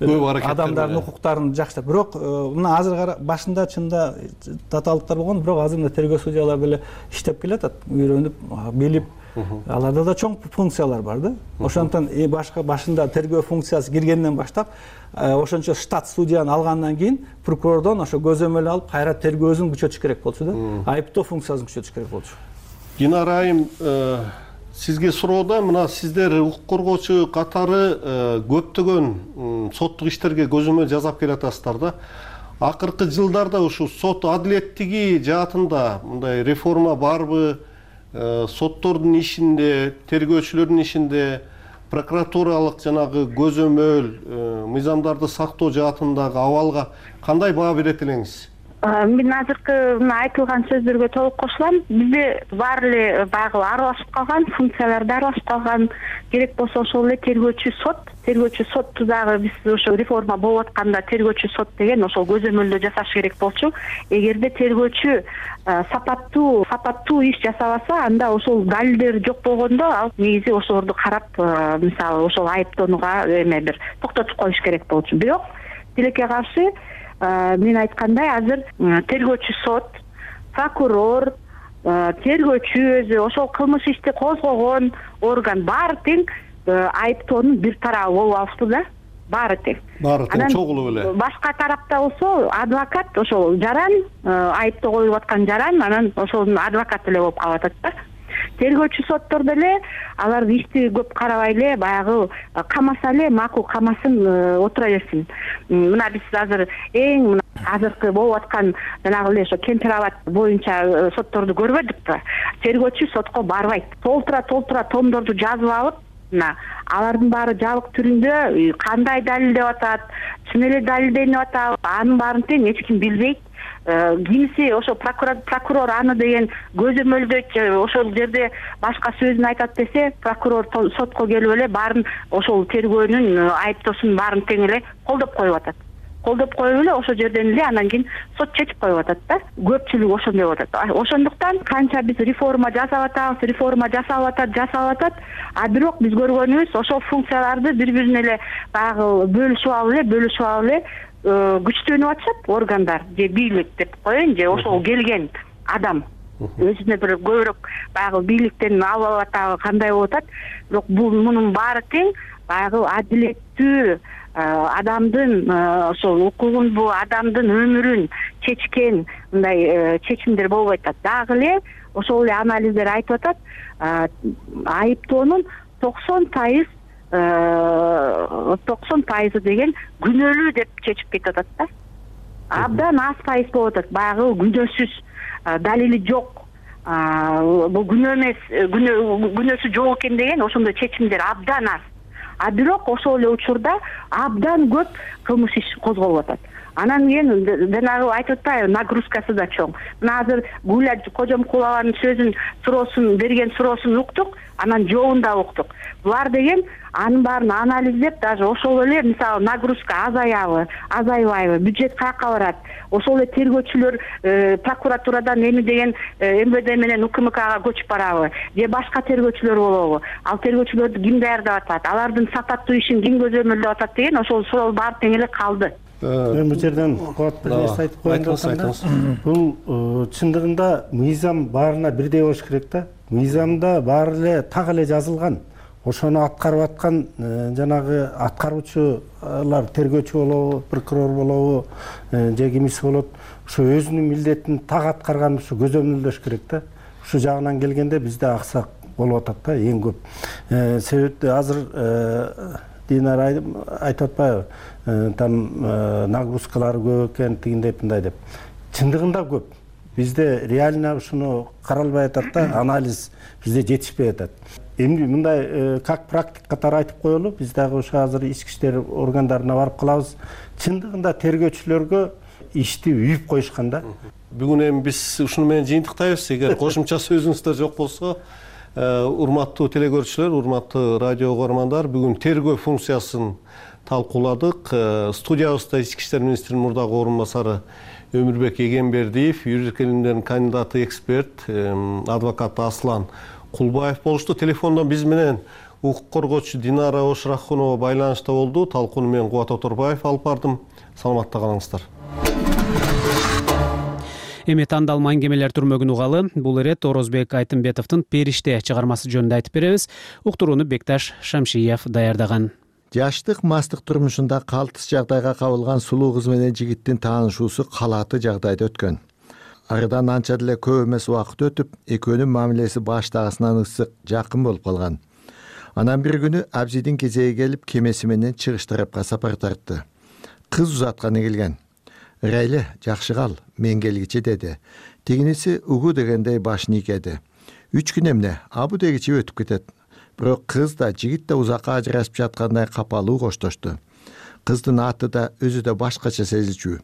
адамдардын укуктарын жакшылап. Бирок мына азыр башында чында татаалыктар болгон, бирок азыр мына тергөө судьялар деле иштеп келатат, үйрөнүп, билип, аларда да чоң функциялар бар да. Ошондуктан башка башында тергөө функциясы киргенден баштап ошончо штат судьяны алгандан кийин прокурордон ошо көзөмөл алып кайра тергөөсүн күчөтүш керек болчу да. Айыптоо функциясын күчөтүш керек болчу. Динара айым, сизге суроода мына сиздер укук коргоочу катары көптөгөн соттук иштерге көзөмөл жасап келатасыздар да. Акыркы жылдарда ушул сот адилеттиги жаатында мындай реформа барбы? Соттордун ишинде, тергөөчүлөрдүн ишинде прокуратуралык жанагы көзөмөл, мыйзамдарды сактоо жаатындагы абалга кандай баа берет элеңиз? Мен азыркы мына айтылган сөздөргө толук кошулам. Бизде баары эле баягы аралашып калган, функциялар да аралашып калган. Керек болсо ошол эле тергөөчү сот, тергөөчү сотту дагы биз ошо реформа болуп атканда тергөөчү сот деген ошол көзөмөлдө жасаш керек болчу. Эгерде тергөөчү сапаттуу, сапаттуу иш жасабаса, анда ошол далилдер жок болгондо ал негизи ошолорду карап, мисалы ошол айыптоонуга эме бир токтотуп коюш керек болчу. Бирок тилекке каршы мен айткандай азыр тергөөчү сот, прокурор, тергөөчү өзү, ошол кылмыш ишти козгогон орган баары тең айыптоонун бир тарабы болуп алышты да, баары тең. Баары тең чогулуп эле. Башка тарапта болсо адвокат ошол жаран, айыптоо коюлуп аткан жаран, анан ошонун адвокаты эле болуп калып атат да. Тергөөчү соттор деле алар ишти көп карабай эле баягы камаса эле макул камасын отура берсин. Мына биз азыр эң мына азыркы болуп аткан жанагы эле ошо Кемпир абад боюнча сотторду көрбөдүкпү? Тергөөчү сотко барбайт. Толтура толтура томдорду жазып алып, мына алардын баары жабык түрүндө кандай далилдеп атат, чын эле далилденип атабы, анын баарын тең эч ким билбейт. Кимиси ошо прокурор аны деген көзөмөлдөйт, ошол жерде башка сөзүн айтат десе, прокурор сотко келип эле баарын ошол тергөөнүн айыптоосунун баарын тең эле колдоп коюп атат. Колдоп коюп эле ошол жерден эле анан кийин сот чечип коюп атат да. Көпчүлүк ошондой болуп атат. Ошондуктан канча биз реформа жасап атабыз, реформа жасалып атат, жасалып атат, а бирок биз көргөнүбүз ошол функцияларды бири-бирине эле баягы бөлүшүп алып эле, бөлүшүп алып эле күчтөнүп атышат органдар же бийлик деп коеюн, же ошол келген адам өзүнө бир көбүрөөк баягы бийликтен алып атабы, кандай болуп атат. Бирок бул мунун баары тең баягы адилеттүү адамдын ошол укугун, бул адамдын өмүрүн чечкен мындай чечимдер болбой атат. Дагы эле ошол эле анализдер айтып атат, айыптоонун токсон пайыз токсон пайызы деген күнөөлүү деп чечип кетип атат да. Абдан аз пайыз болуп атат, баягы күнөөсүз, далили жок, бул күнөө эмес, күнөөсү жок экен деген ошондой чечимдер абдан аз. А бирок ошол эле учурда абдан көп кылмыш иш козголуп атат. Анан кийин жанагы айтып атпайбы, нагрузкасы да чоң. Мына азыр Гүля Кожомкулованын сөзүн, суроосун берген суроосун уктук, анан жообун да уктук. Булар деген анын баарын анализдеп, даже ошол эле мисалы нагрузка азаябы, азайбайбы, бюджет каяка барат, ошол эле тергөөчүлөр прокуратурадан эми деген эм вэ дэ менен у ка эм кга көчүп барабы, же башка тергөөчүлөр болобу, ал тергөөчүлөрдү ким даярдап атат, алардын сапаттуу ишин ким көзөмөлдөп атат деген ошол суроо баары тең эле калды. Мен бул жерден кубат бир нерсе айтып коеюн деп атам. Бул чындыгында мыйзам баарына бирдей болуш керек да. Мыйзамда баары эле так эле жазылган. Ошону аткарып аткан жанагы аткаруучулар, тергөөчү болобу, прокурор болобу, же кимиси болот, ошо өзүнүн милдетин так аткарган ушу көзөмөлдөш керек да. Ушу жагынан келгенде бизде аксак болуп атат да эң көп. Себеби азыр Динара айтып атпайбы, там нагрузкалары көп экен, тигиндей мындай деп. Чындыгында көп. Бизде реально ушуну каралбай атат да, анализ бизде жетишпей атат. Эми мындай как практик катары айтып коелу, биз дагы ошо азыр ички иштер органдарына барып калабыз. Чындыгында тергөөчүлөргө ишти үйүп коюшкан да. Бүгүн эми биз ушуну менен жыйынтыктайбыз. Эгер кошумча сөзүңүздөр жок болсо, урматтуу телегөрүүчүлөр, урматтуу радио угармандар, бүгүн тергөө функциясын талкууладык. Студиябызда ички иштер министринин мурдагы орун басары Өмүрбек Эгембердиев, юридика илимдеринин кандидаты, эксперт, адвокат Аслан Кулбаев болушту. Телефондон биз менен укук коргоочу Динара Ошрахунова байланышта болду. Талкууну мен Кубат Оторбаев алып бардым. Саламатта калыңыздар. Эми тандалма аңгемелер түрмөгүн угалы. Бул ирет Орозбек Айтымбетовдун Периште чыгармасы жөнүндө айтып беребиз. Уктурууну Бекташ Шамшиев даярдаган. Жаштык мастык турмушунда калтыс жагдайга кабылган сулуу кыз менен жигиттин таанышуусу калааты жагдайда өткөн. Арыдан анча деле көп эмес убакыт өтүп, экөөнүн мамилеси баштагысынан ысык, жакын болуп калган. Анан бир күнү Абзидин кезеги келип, кемеси менен чыгыш тарапка сапар тартты. Кыз узатканы келген. Рейле, жакшы кал, мен келгичи деди. Тигиниси угу дегендей башын ийкеди. Үч күн эмне, абу дегичи өтүп кетет. Бирок кыз да, жигит да узакка ажырашып жаткандай капалуу коштошту. Кыздын аты да, өзү да башкача сезилчү.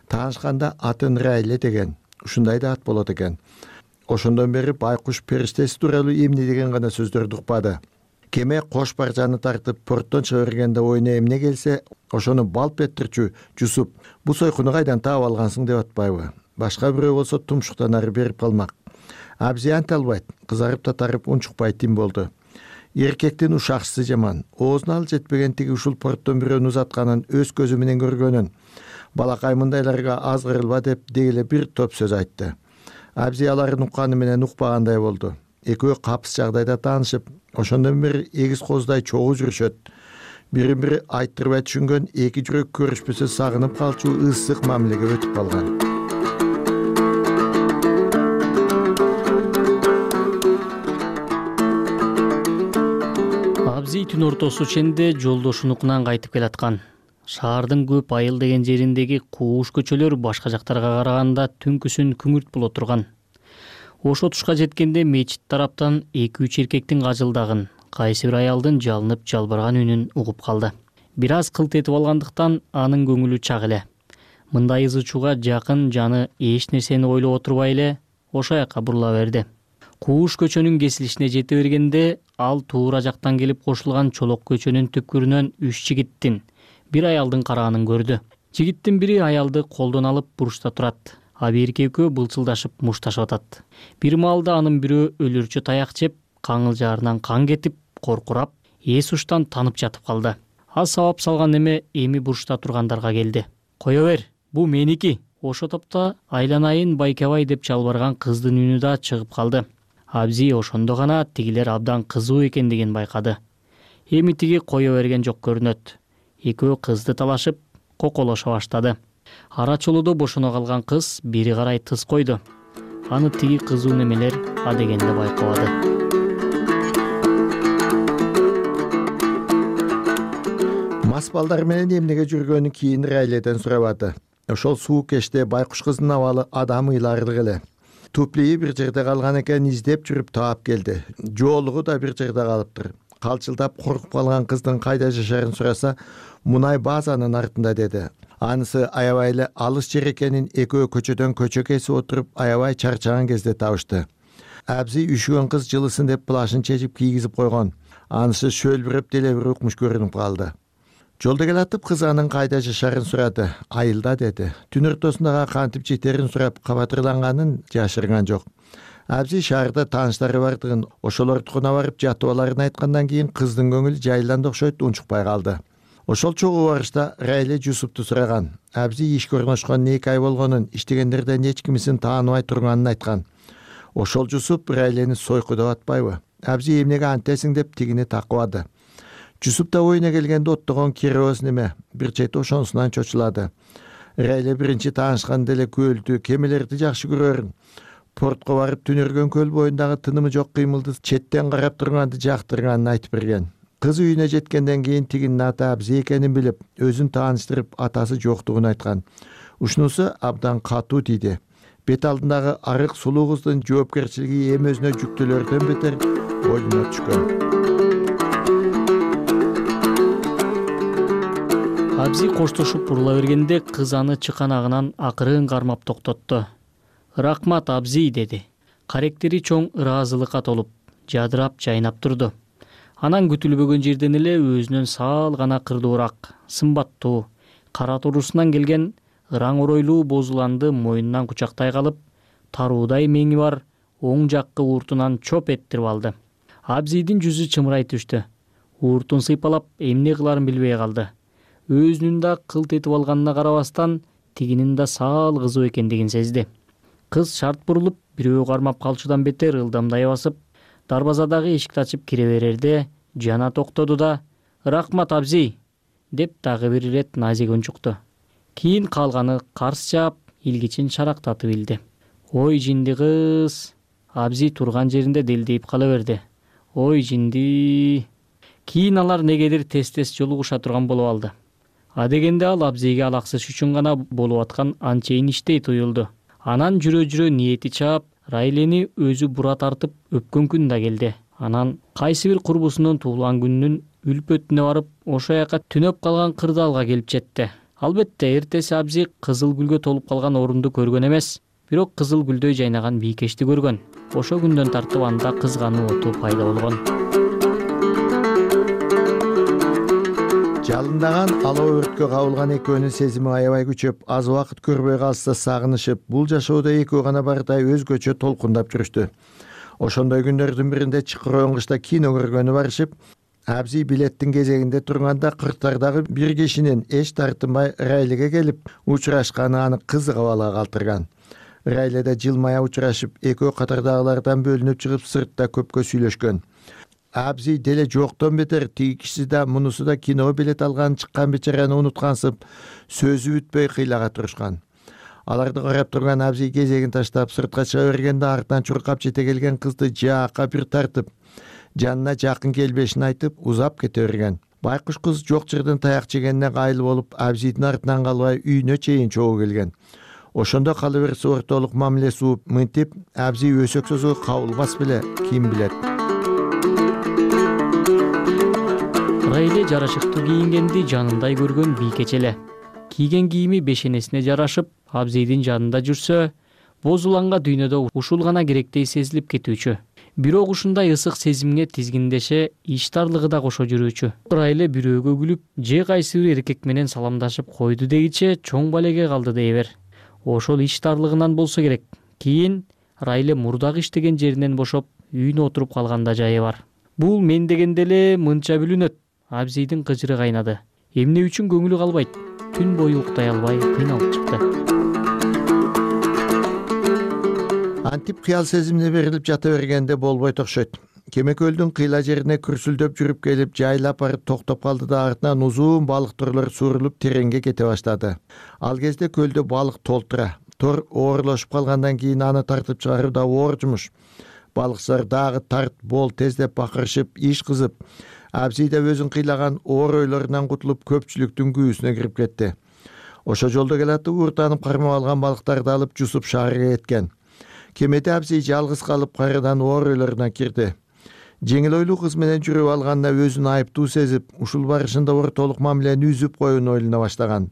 Таанышканда атын Райле деген, ушундай да ат болот экен. Ошондон бери байкуш периштеси тууралуу эмне деген гана сөздөрдү укпады. Кеме кош баржаны тартып порттон чыга бергенде оюна эмне келсе, ошону балп этирчү Жусуп бу сойкуну кайдан таап алгансың деп атпайбы? Башка бирөө болсо тумшуктан ары берип калмак. Абзи анте албайт, кызарып татарып унчукпай тим болду. Эркектин ушакчысы жаман, оозуна ал жетпеген тиги ушул порттон бирөөнү узатканын өз көзү менен көргөнүн. Балакай мындайларга азгырылба деп дегеле бир топ сөз айтты. Абзи аларын укканы менен укпагандай болду. Экөө капыс жагдайда таанышып, ошондон бери эгиз коздай чогуу жүрүшөт. Бирин бири айттырбай түшүнгөн эки жүрөк көрүшпөсө сагынып калчу ысык мамилеге өтүп калган. Абзи түн ортосу ченде жолдошунукунан кайтып келаткан. Шаардын көп айыл деген жериндеги кууш көчөлөр башка жактарга караганда түнкүсүн күңүрт боло турган. Ошо тушка жеткенде мечит тараптан эки үч эркектин кажылдагын, кайсы бир аялдын жалынып жалбыраган үнүн угуп калды. Бир аз кылт этип алгандыктан анын көңүлү чак эле. Мындай ызы чууга жакын жаны эч нерсени ойлоп отурбай эле ошо жака бурула берди. Кууш көчөнүн кесилишине жете бергенде ал туура жактан келип кошулган чолок көчөнүн түпкүрүнөн үч жигиттин, бир аялдын караганын көрдү. Жигиттин бири аялды колдон алып бурушта турат. А бирки экөө былчылдашып мушташып атат. Бир маалда анын бирөө өлүрчү таяк жеп, каңылжаарынан кан кетип, коркурап, эс уштан танып жатып калды. Аз сабап салган эме эми бурушта тургандарга келди. Кое бер, бу меники. Ошо топто айланайын байкабай деп жалбарган кыздын үнү да чыгып калды. Абзи ошондо гана тигилер абдан кызуу экендигин байкады. Эми тиги кое берген жок көрүнөт. Экөө кызды талашып, коколошо баштады. Ара чолуудо бошоно калган кыз бери карай тыз койду. Аны тиги кызуу немелер адегенде байкабады. Мас балдар менен эмнеге жүргөнү кийин Райледен сурабады. Ошол суук кечте байкуш кыздын абалы адам ыйларлык эле. Туплии бир жерде калган экен, издеп жүрүп таап келди. Жоолугу да бир жерде калыптыр. Калчылдап коркуп калган кыздын кайда жашаарын сураса, мунай базанын артында деди. Анысы аябай эле алыс жер экенин экөө көчөдөн көчө кесип отуруп аябай чарчаган кезде табышты. Абзи үшүгөн кыз жылысын деп плашын чечип кийгизип койгон. Анысы шөлбүрөп деле бир укмуш көрүнүп калды. Жолдо келатып кыз анын кайда жашаарын сурады. Айылда деди. Түн ортосундагы кантип жетерин сурап кабатырланганын жашырган жок. Абзи шаарда тааныштары бардыгын, ошолордукуна барып жатып аларын айткандан кийин кыздын көңүлү жайланды окшойт унчукпай калды. Ошол чогуу барышта Райле Жусупту сураган. Абзи ишке орношкон эки ай болгонун, иштегендерден эч кимисин тааныбай турганын айткан. Ошол Жусуп Райлени сойку деп атпайбы? Абзи эмнеге антесиң деп тигини такыбады. Жусуп да оюна келгенде оттогон керөөс неме, бир чети ошонусунан чочулады. Райле биринчи таанышканда эле көлдү, кемелерди жакшы көрөрүн. Портко барып түнөргөн көл боюндагы тынымы жок кыймылды четтен карап турганды жактырганын айтып берген. Кыз үйүнө жеткенден кийин тигинин аты Абзи экенин билип, өзүн тааныштырып, атасы жоктугун айткан. Ушунусу абдан катуу тийди. Бет алдындагы арык сулуу кыздын жоопкерчилиги эми өзүнө жүктөлөрдөн бетер боюна түшкөн. Абзи коштошуп бурула бергенде кыз аны чыканагынан акырын кармап токтотту. Рахмат Абзи деди. Каректери чоң ыраазылыкка толуп, жадырап жайнап турду. Анан күтүлбөгөн жерден эле өзүнөн саал гана кырдуураак, сымбаттуу, кара турусунан келген ыраң оройлуу бозуланды мойнунан кучактай калып, таруудай меңи бар оң жаккы ууртунан чоп эттирип алды. Абзидин жүзү чымырай түштү. Ууртун сыйпалап эмне кыларын билбей калды. Өзүнүн да кылт этип алганына карабастан, тигинин да саал кызуу экендигин сезди. Кыз шарт бурулуп, бирөө кармап калчудан бетер ылдамдай басып, дарбазадагы эшикти ачып кире берерде жана токтоду да «Рахмат Абзи» деп дагы бир ирет назик унчукту. Кийин калганы карс жаап, илгичин шарактатып илди. Ой жинди кыз. Абзи турган жеринде делдейип кала берди. Ой жинди. Кийин алар негедир тез-тез жолугуша турган болуп алды. Адегенде ал Абзиге алаксыш үчүн гана болуп аткан анчейин иштей туюлду. Анан жүрө-жүрө ниети чаап, Райлени өзү бура тартып өпкөн күн да келди. Анан кайсы бир курбусунун туулган күнүнүн үлпөтүнө барып, ошо жака түнөп калган кырдаалга келип жетти. Албетте эртеси абзи кызыл гүлгө толуп калган орунду көргөн эмес, бирок кызыл гүлдөй жайнаган бийкечти көргөн. Ошо күндөн тартып анда кызгануу оту пайда болгон. Жалындаган алоо өрткө кабылган экөөнүн сезими аябай күчөп, аз убакыт көрбөй калса сагынышып, бул жашоодо экөө гана бардай өзгөчө толкундап жүрүштү. Ошондой күндөрдүн биринде чыкырган кышта кино көргөнү барышып, абзи билеттин кезегинде турганда кырктардагы бир кишинин эч тартынбай Райлеге келип учурашканы аны кызык абалга калтырган. Райледе жылмая учурашып, экөө катардагылардан бөлүнүп чыгып сыртта көпкө сүйлөшкөн. Абзи деле жоктон бетер тиги киши да мунусу да киного билет алган чыккан бечараны унуткансып, сөзү бүтпөй кыйлага турушкан. Аларды карап турган абзи кезегин таштап сыртка чыга бергенде артынан чуркап жете келген кызды жаакка бир тартып, жанына жакын келбешин айтып, узап кете берген. Байкуш кыз жок жерден таяк жегенине кайыл болуп, абзидин артынан калбай үйүнө чейин чогуу келген. Ошондо кала берсе ортолук мамиле сууп, мынтип абзи өсөксөзгө кабылбас беле, ким билет. Райле жарашыктуу кийингенди жанындай көргөн бийкеч эле. Кийген кийими бешенесине жарашып, абзидин жанында жүрсө, боз уланга дүйнөдө ушул гана керектей сезилип кетүүчү. Бирок ушундай ысык сезимге тизгиндеше иштарлыгы да кошо жүрүүчү. Райле бирөөгө күлүп, же кайсы бир эркек менен саламдашып койду дегиче чоң балеге калды дей бер. Ошол иштарлыгынан болсо керек. Кийин Райле мурдагы иштеген жеринен бошоп, үйүнө отуруп калганда жайы бар. Бул мен дегенде эле мынча бүлүнөт. Абзидин кыжыры кайнады. Эмне үчүн көңүлү калбайт? Түн бою уктай албай кыйналып чыкты. Антип кыял сезимине берилип жата бергенде болбойт окшойт. Кемекөлдүн кыйла жерине күрсүлдөп жүрүп келип, жайлап барып токтоп калды да артынан узун балык торлор сурулуп тереңге кете баштады. Ал кезде көлдө балык толтура. Тор оорлошуп калгандан кийин аны тартып чыгаруу да оор жумуш. Балыкчылар дагы тарт бол тез деп бакырышып, иш кызып, абзи да өзүн кыйлаган оор ойлорунан кутулуп көпчүлүктүн күүсүнө кирип кетти. Ошо жолдо келатып ууртанып кармап алган балыктарды алып жусуп шаарга кеткен. Кемеде абзи жалгыз калып кайрадан оор ойлоруна кирди. Жеңил ойлуу кыз менен жүрүп алганына өзүн айыптуу сезип, ушул барышында ортолук мамилени үзүп коюуну ойлоно баштаган.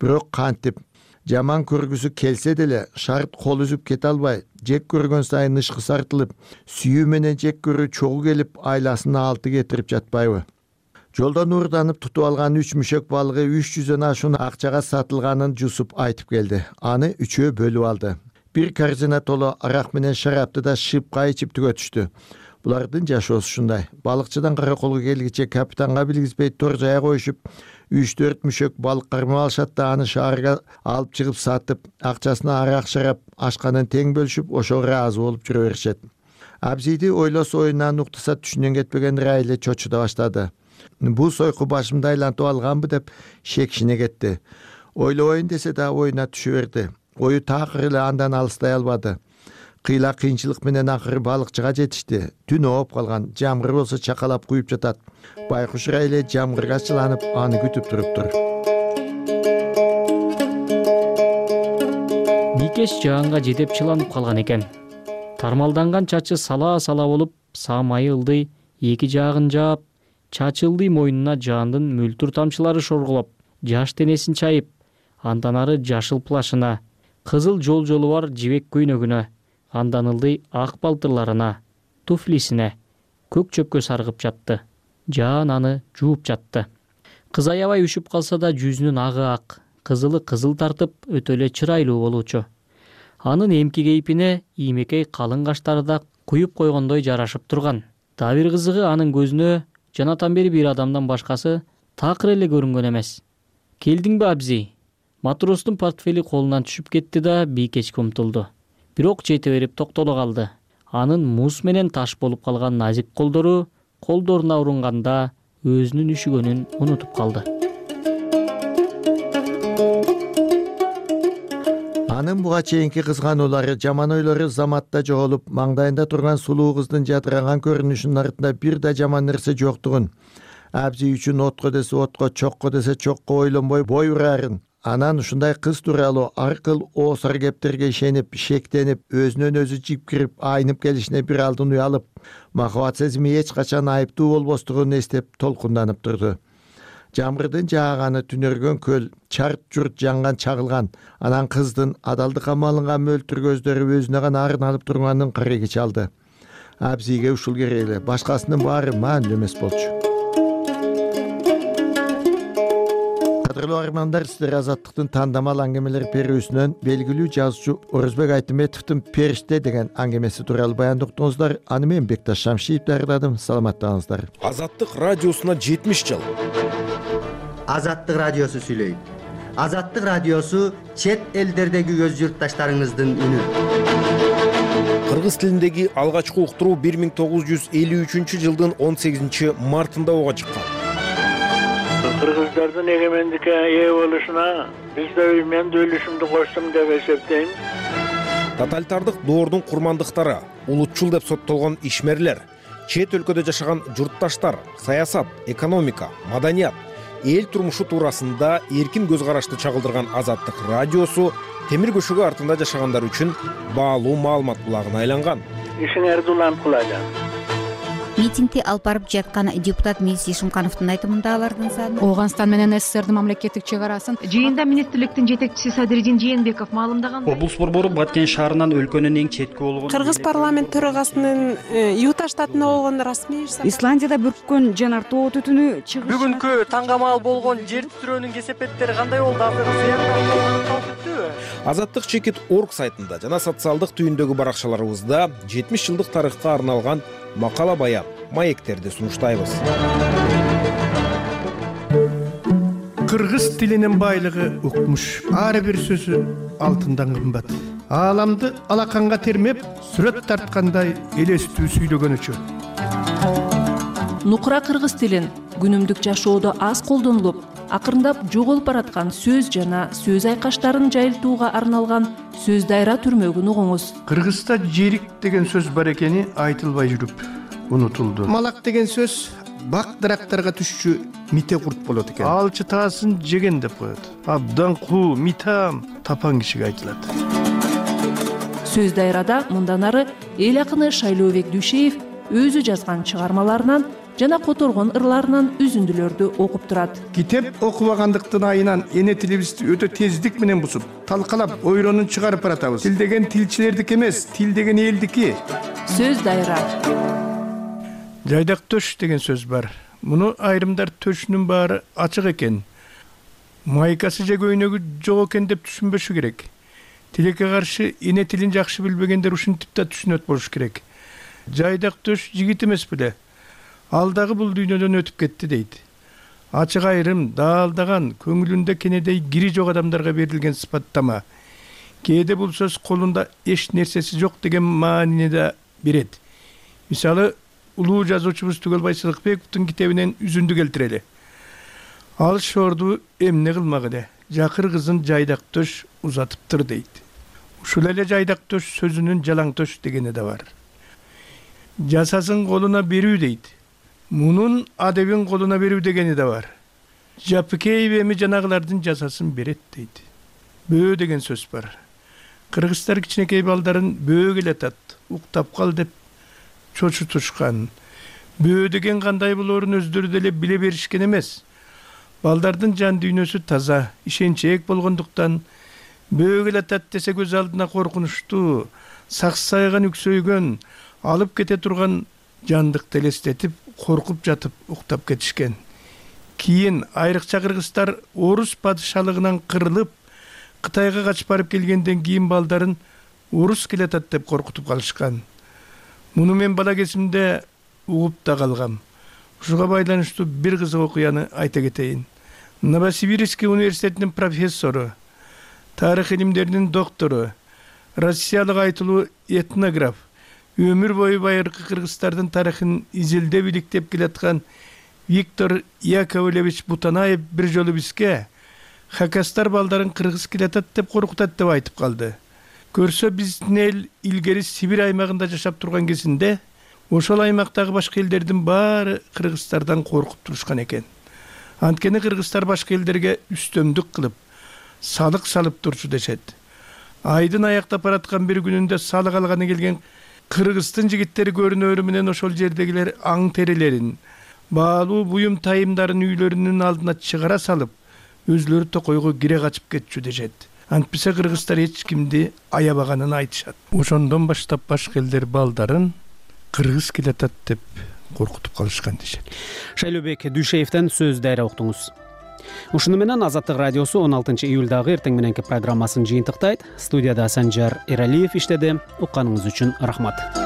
Бирок кантип жаман көргүсү келсе деле шарт кол үзүп кете албай, жек көргөн сайын ышкы сартылып, сүйүү менен жек көрүү чогуу келип айласын алты кетирип жатпайбы? Жолдон уурданып тутуп алган үч мүшөк балыгы үч жүздөн ашуун акчага сатылганын жусуп айтып келди. Аны үчөө бөлүп алды. Бир корзина толо арак менен шарапты да шыпка ичип түгөтүштү. Булардын жашоосу ушундай. Балыкчыдан караколго келгиче капитанга билгизбей тор жая коюшуп, үч төрт мүшөк балык кармап алышат да аны шаарга алып чыгып сатып, акчасына арак шарап ашканын тең бөлүшүп, ошого ыраазы болуп жүрө беришет. Абзиди ойлосо оюнан уктаса түшүнөн кетпеген Райле чочуда баштады. Бул сойку башымды айлантып алганбы деп шекшине кетти. Ойлобойн десе да оюна түшө берди. Ою такыр эле андан алыстай албады. Кыйла кыйынчылык менен акыры балыкчыга жетишти. Түн ооп калган, жамгыр болсо чакалап куюп жатат. Байкуш Райле жамгырга чыланып, аны күтүп туруптур. Бийкеч жаанга жетип чыланып калган экен. Тармалданган чачы сала-сала болуп, самайы ылдый, эки жагын жаап, чачы ылдый мойнуна жаандын мөлтүр тамчылары шорголоп, жаш денесин чайып, андан ары жашыл плашына, кызыл жол-жолу бар жибек көйнөгүнө, андан ылдый ак балтырларына, туфлисине, көк чөпкө саргып жатты. Жаан аны жууп жатты. Кыз аябай үшүп калса да жүзүнүн агы ак, кызылы кызыл тартып, өтө эле чырайлуу болуучу. Анын эмки кейпине иймекей калың каштары да куюп койгондой жарашып турган. Дагы бир кызыгы анын көзүнө жанатан бери бир адамдан башкасы такыр эле көрүнгөн эмес. Келдиңби абзи? Матростун портфели колунан түшүп кетти да бийкечке умтулду. Бирок жете берип токтоло калды. Анын муз менен таш болуп калган назик колдору колдоруна урунганда өзүнүн үшүгөнүн унутуп калды. Анын буга чейинки кызгануулары, жаман ойлору заматта жоголуп, маңдайында турган сулуу кыздын жадыраган көрүнүшүнүн артында бир да жаман нерсе жоктугун, абзи үчүн отко десе отко, чокко десе чокко ойлонбой бой урарын, анан ушундай кыз тууралуу аркыл оосар кептерге ишенип, шектенип, өзүнөн өзү жипкирип, айнып келишине бир алдын уялып, махабат сезими эч качан айыптуу болбостугун эстеп толкунданып турду. жамгырдын жааганы түнөргөн көл, чарт журт жанган чагылган, анан кыздын адалдыкка малынган мөлтүр көздөрү өзүнө гана арын алып турганын кыреги чалды. Абзиге ушул керек эле, башкасынын баары маанилүү эмес болчу. Кадырлуу армандар, сиздер Азаттыктын тандамал аңгемелер берүүсүнөн белгилүү жазуучу Орозбек Айтыметовдун «Периште» деген аңгемеси тууралуу баяндоо уктуңуздар. Аны мен Бекташ Шамшиев даярдадым. Саламаттаңыздар. Азаттык радиосуна жетимиш жыл. Азаттык радиосу сүйлөйт. Азаттык радиосу чет элдердеги өз журтташтарыңыздын үнү. Кыргыз тилиндеги алгачкы уктуруу бир миң тогуз жүз элүү үчүнчү жылдын он сегизинчи мартында ого чыккан. Кыргыздардын эгемендикке ээ болушуна биз да мен да үлүшүмдү коштум деп эсептейм. Тоталитардык доордун курмандыктары, улутчул деп соттолгон ишмерлер, чет өлкөдө жашаган журтташтар, саясат, экономика, маданият, эл турмушу туурасында эркин көз карашты чагылдырган Азаттык радиосу темир көшөгө артында жашагандар үчүн баалуу маалымат булагына айланган. Ишиңерди улантып кылажам. Митингди алып барып жаткан депутат Миз Ишимкановдун айтымында алардын саны Ооганстан менен СССРдин мамлекеттик чек арасын жыйында министрликтин жетекчиси Садыридин Жээнбеков маалымдаган. Облус борбору Баткен шаарынан өлкөнүн эң четки болгон Кыргыз парламент төрагасынын Юта штатында болгон расмий иш. Исландияда бүрккөн жанар тоо түтүнү чыгыш. Бүгүнкү таңгамал болгон жер титирөөнүн кесепеттери кандай болду? Азаттык чекит точка орг сайтында жана социалдык түйүндөгү баракчаларыбызда жетимиш жылдык тарыхка арналган макала баян, маектерди сунуштайбыз. Кыргыз тилинин байлыгы укмуш. Ар бир сөзү алтындан кымбат. Ааламды алаканга термеп, сүрөт тарткандай элестүү сүйлөгөнүчү. Нукура кыргыз тилин күнүмдүк жашоодо аз колдонулуп, акырындап жоголуп бараткан сөз жана сөз айкаштарын жайылтууга арналган сөз дайра түрмөгүн угуңуз. Кыргызда жерик деген сөз бар экени айтылбай жүрүп унутулду. Малак деген сөз бак дарактарга түшчү мите курт болот экен. Алчы таасын жеген деп коет. Абдан куу, митам, тапан кишиге айтылат. Сөз дайрада мындан ары эл акыны Шайлообек Дүйшеев өзү жазган чыгармаларынан жана которгон ырларынан үзүндүлөрдү окуп турат. Китеп окубагандыктын айынан эне тилибизди өтө тездик менен бузуп, талкалап, ойронун чыгарып баратабыз. Тил деген тилчилердики эмес, тил деген элдики. Сөз дайра. Жайдак төш деген сөз бар. Муну айрымдар төшүнүн баары ачык экен, майкасы же көйнөгү жок экен деп түшүнбөшү керек. Тилекке каршы эне тилин жакшы билбегендер ушинтип да түшүнөт болуш керек. Жайдак төш жигит эмес беле. Ал дагы бул дүйнөдөн өтүп кетти дейт. Ачык айрым, даалдаган, көңүлүндө кенедей кири жок адамдарга берилген сыпаттама. Кээде бул сөз колунда эч нерсеси жок деген маанини да берет. Мисалы, улуу жазуучубуз Түгөлбай Сыдыкбековдун китебинен үзүндү келтирели. Ал шорду эмне кылмак эле, жакыр кызын жайдак төш узатыптыр дейт. Ушул эле жайдак төш сөзүнүн жалаң төш дегени да бар. Жасасын колуна берүү дейт. Мунун адебин колуна берүү дегени да бар. Жапыкеев эми жанагылардын жасасын берет дейт. Бөө деген сөз бар. Кыргыздар кичинекей балдарын бөө келатат, уктап кал деп чочутушкан. Бөө деген кандай болоорун өздөрү деле биле беришкен эмес. Балдардын жан дүйнөсү таза, ишенчээк болгондуктан бөө келатат десе көз алдына коркунучтуу, саксайган үксөйгөн, алып кете турган жандыкты элестетип, коркуп жатып уктап кетишкен. Кийин айрыкча кыргыздар орус падышалыгынан кырылып, Кытайга качып барып келгенден кийин балдарын орус келатат деп коркутуп калышкан. Муну мен бала кезимде угуп да калгам. Ушуга байланыштуу бир кызык окуяны айта кетейин. Новосибирский университетинин профессору, тарых илимдеринин доктору, Россиялык айтылуу этнограф, өмүр бою байыркы кыргыздардын тарыхын изилдеп иликтеп келаткан Виктор Яковлевич Бутанаев бир жолу бизге хакастар балдарын кыргыз келатат деп коркутат деп айтып калды. Көрсө биздин эл илгери Сибирь аймагында жашап турган кезинде ошол аймактагы башка элдердин баары кыргыздардан коркуп турушкан экен. Анткени кыргыздар башка элдерге үстөмдүк кылып, салык салып турчу дешет. Айдын аяктап бараткан бир күнүндө салык алганы келген кыргыздын жигиттери көрүнөрү менен ошол жердегилер аң терилерин, баалуу буюм тайымдарын үйлөрүнүн алдына чыгара салып өзүлөрү токойго кире качып кетчү дешет. Антпесе кыргыздар эч кимди аябаганын айтышат. Ошондон баштап башка элдер балдарын кыргыз келатат деп коркутуп калышкан дешет. Шайлообек Дүйшеевден сөз дайра уктуңуз. Ушуну менен Азаттык радиосу он алтынчы июлдагы эртең мененки программасын жыйынтыктайт. Студияда Санжар Эралиев иштеди. Укканыңыз үчүн рахмат.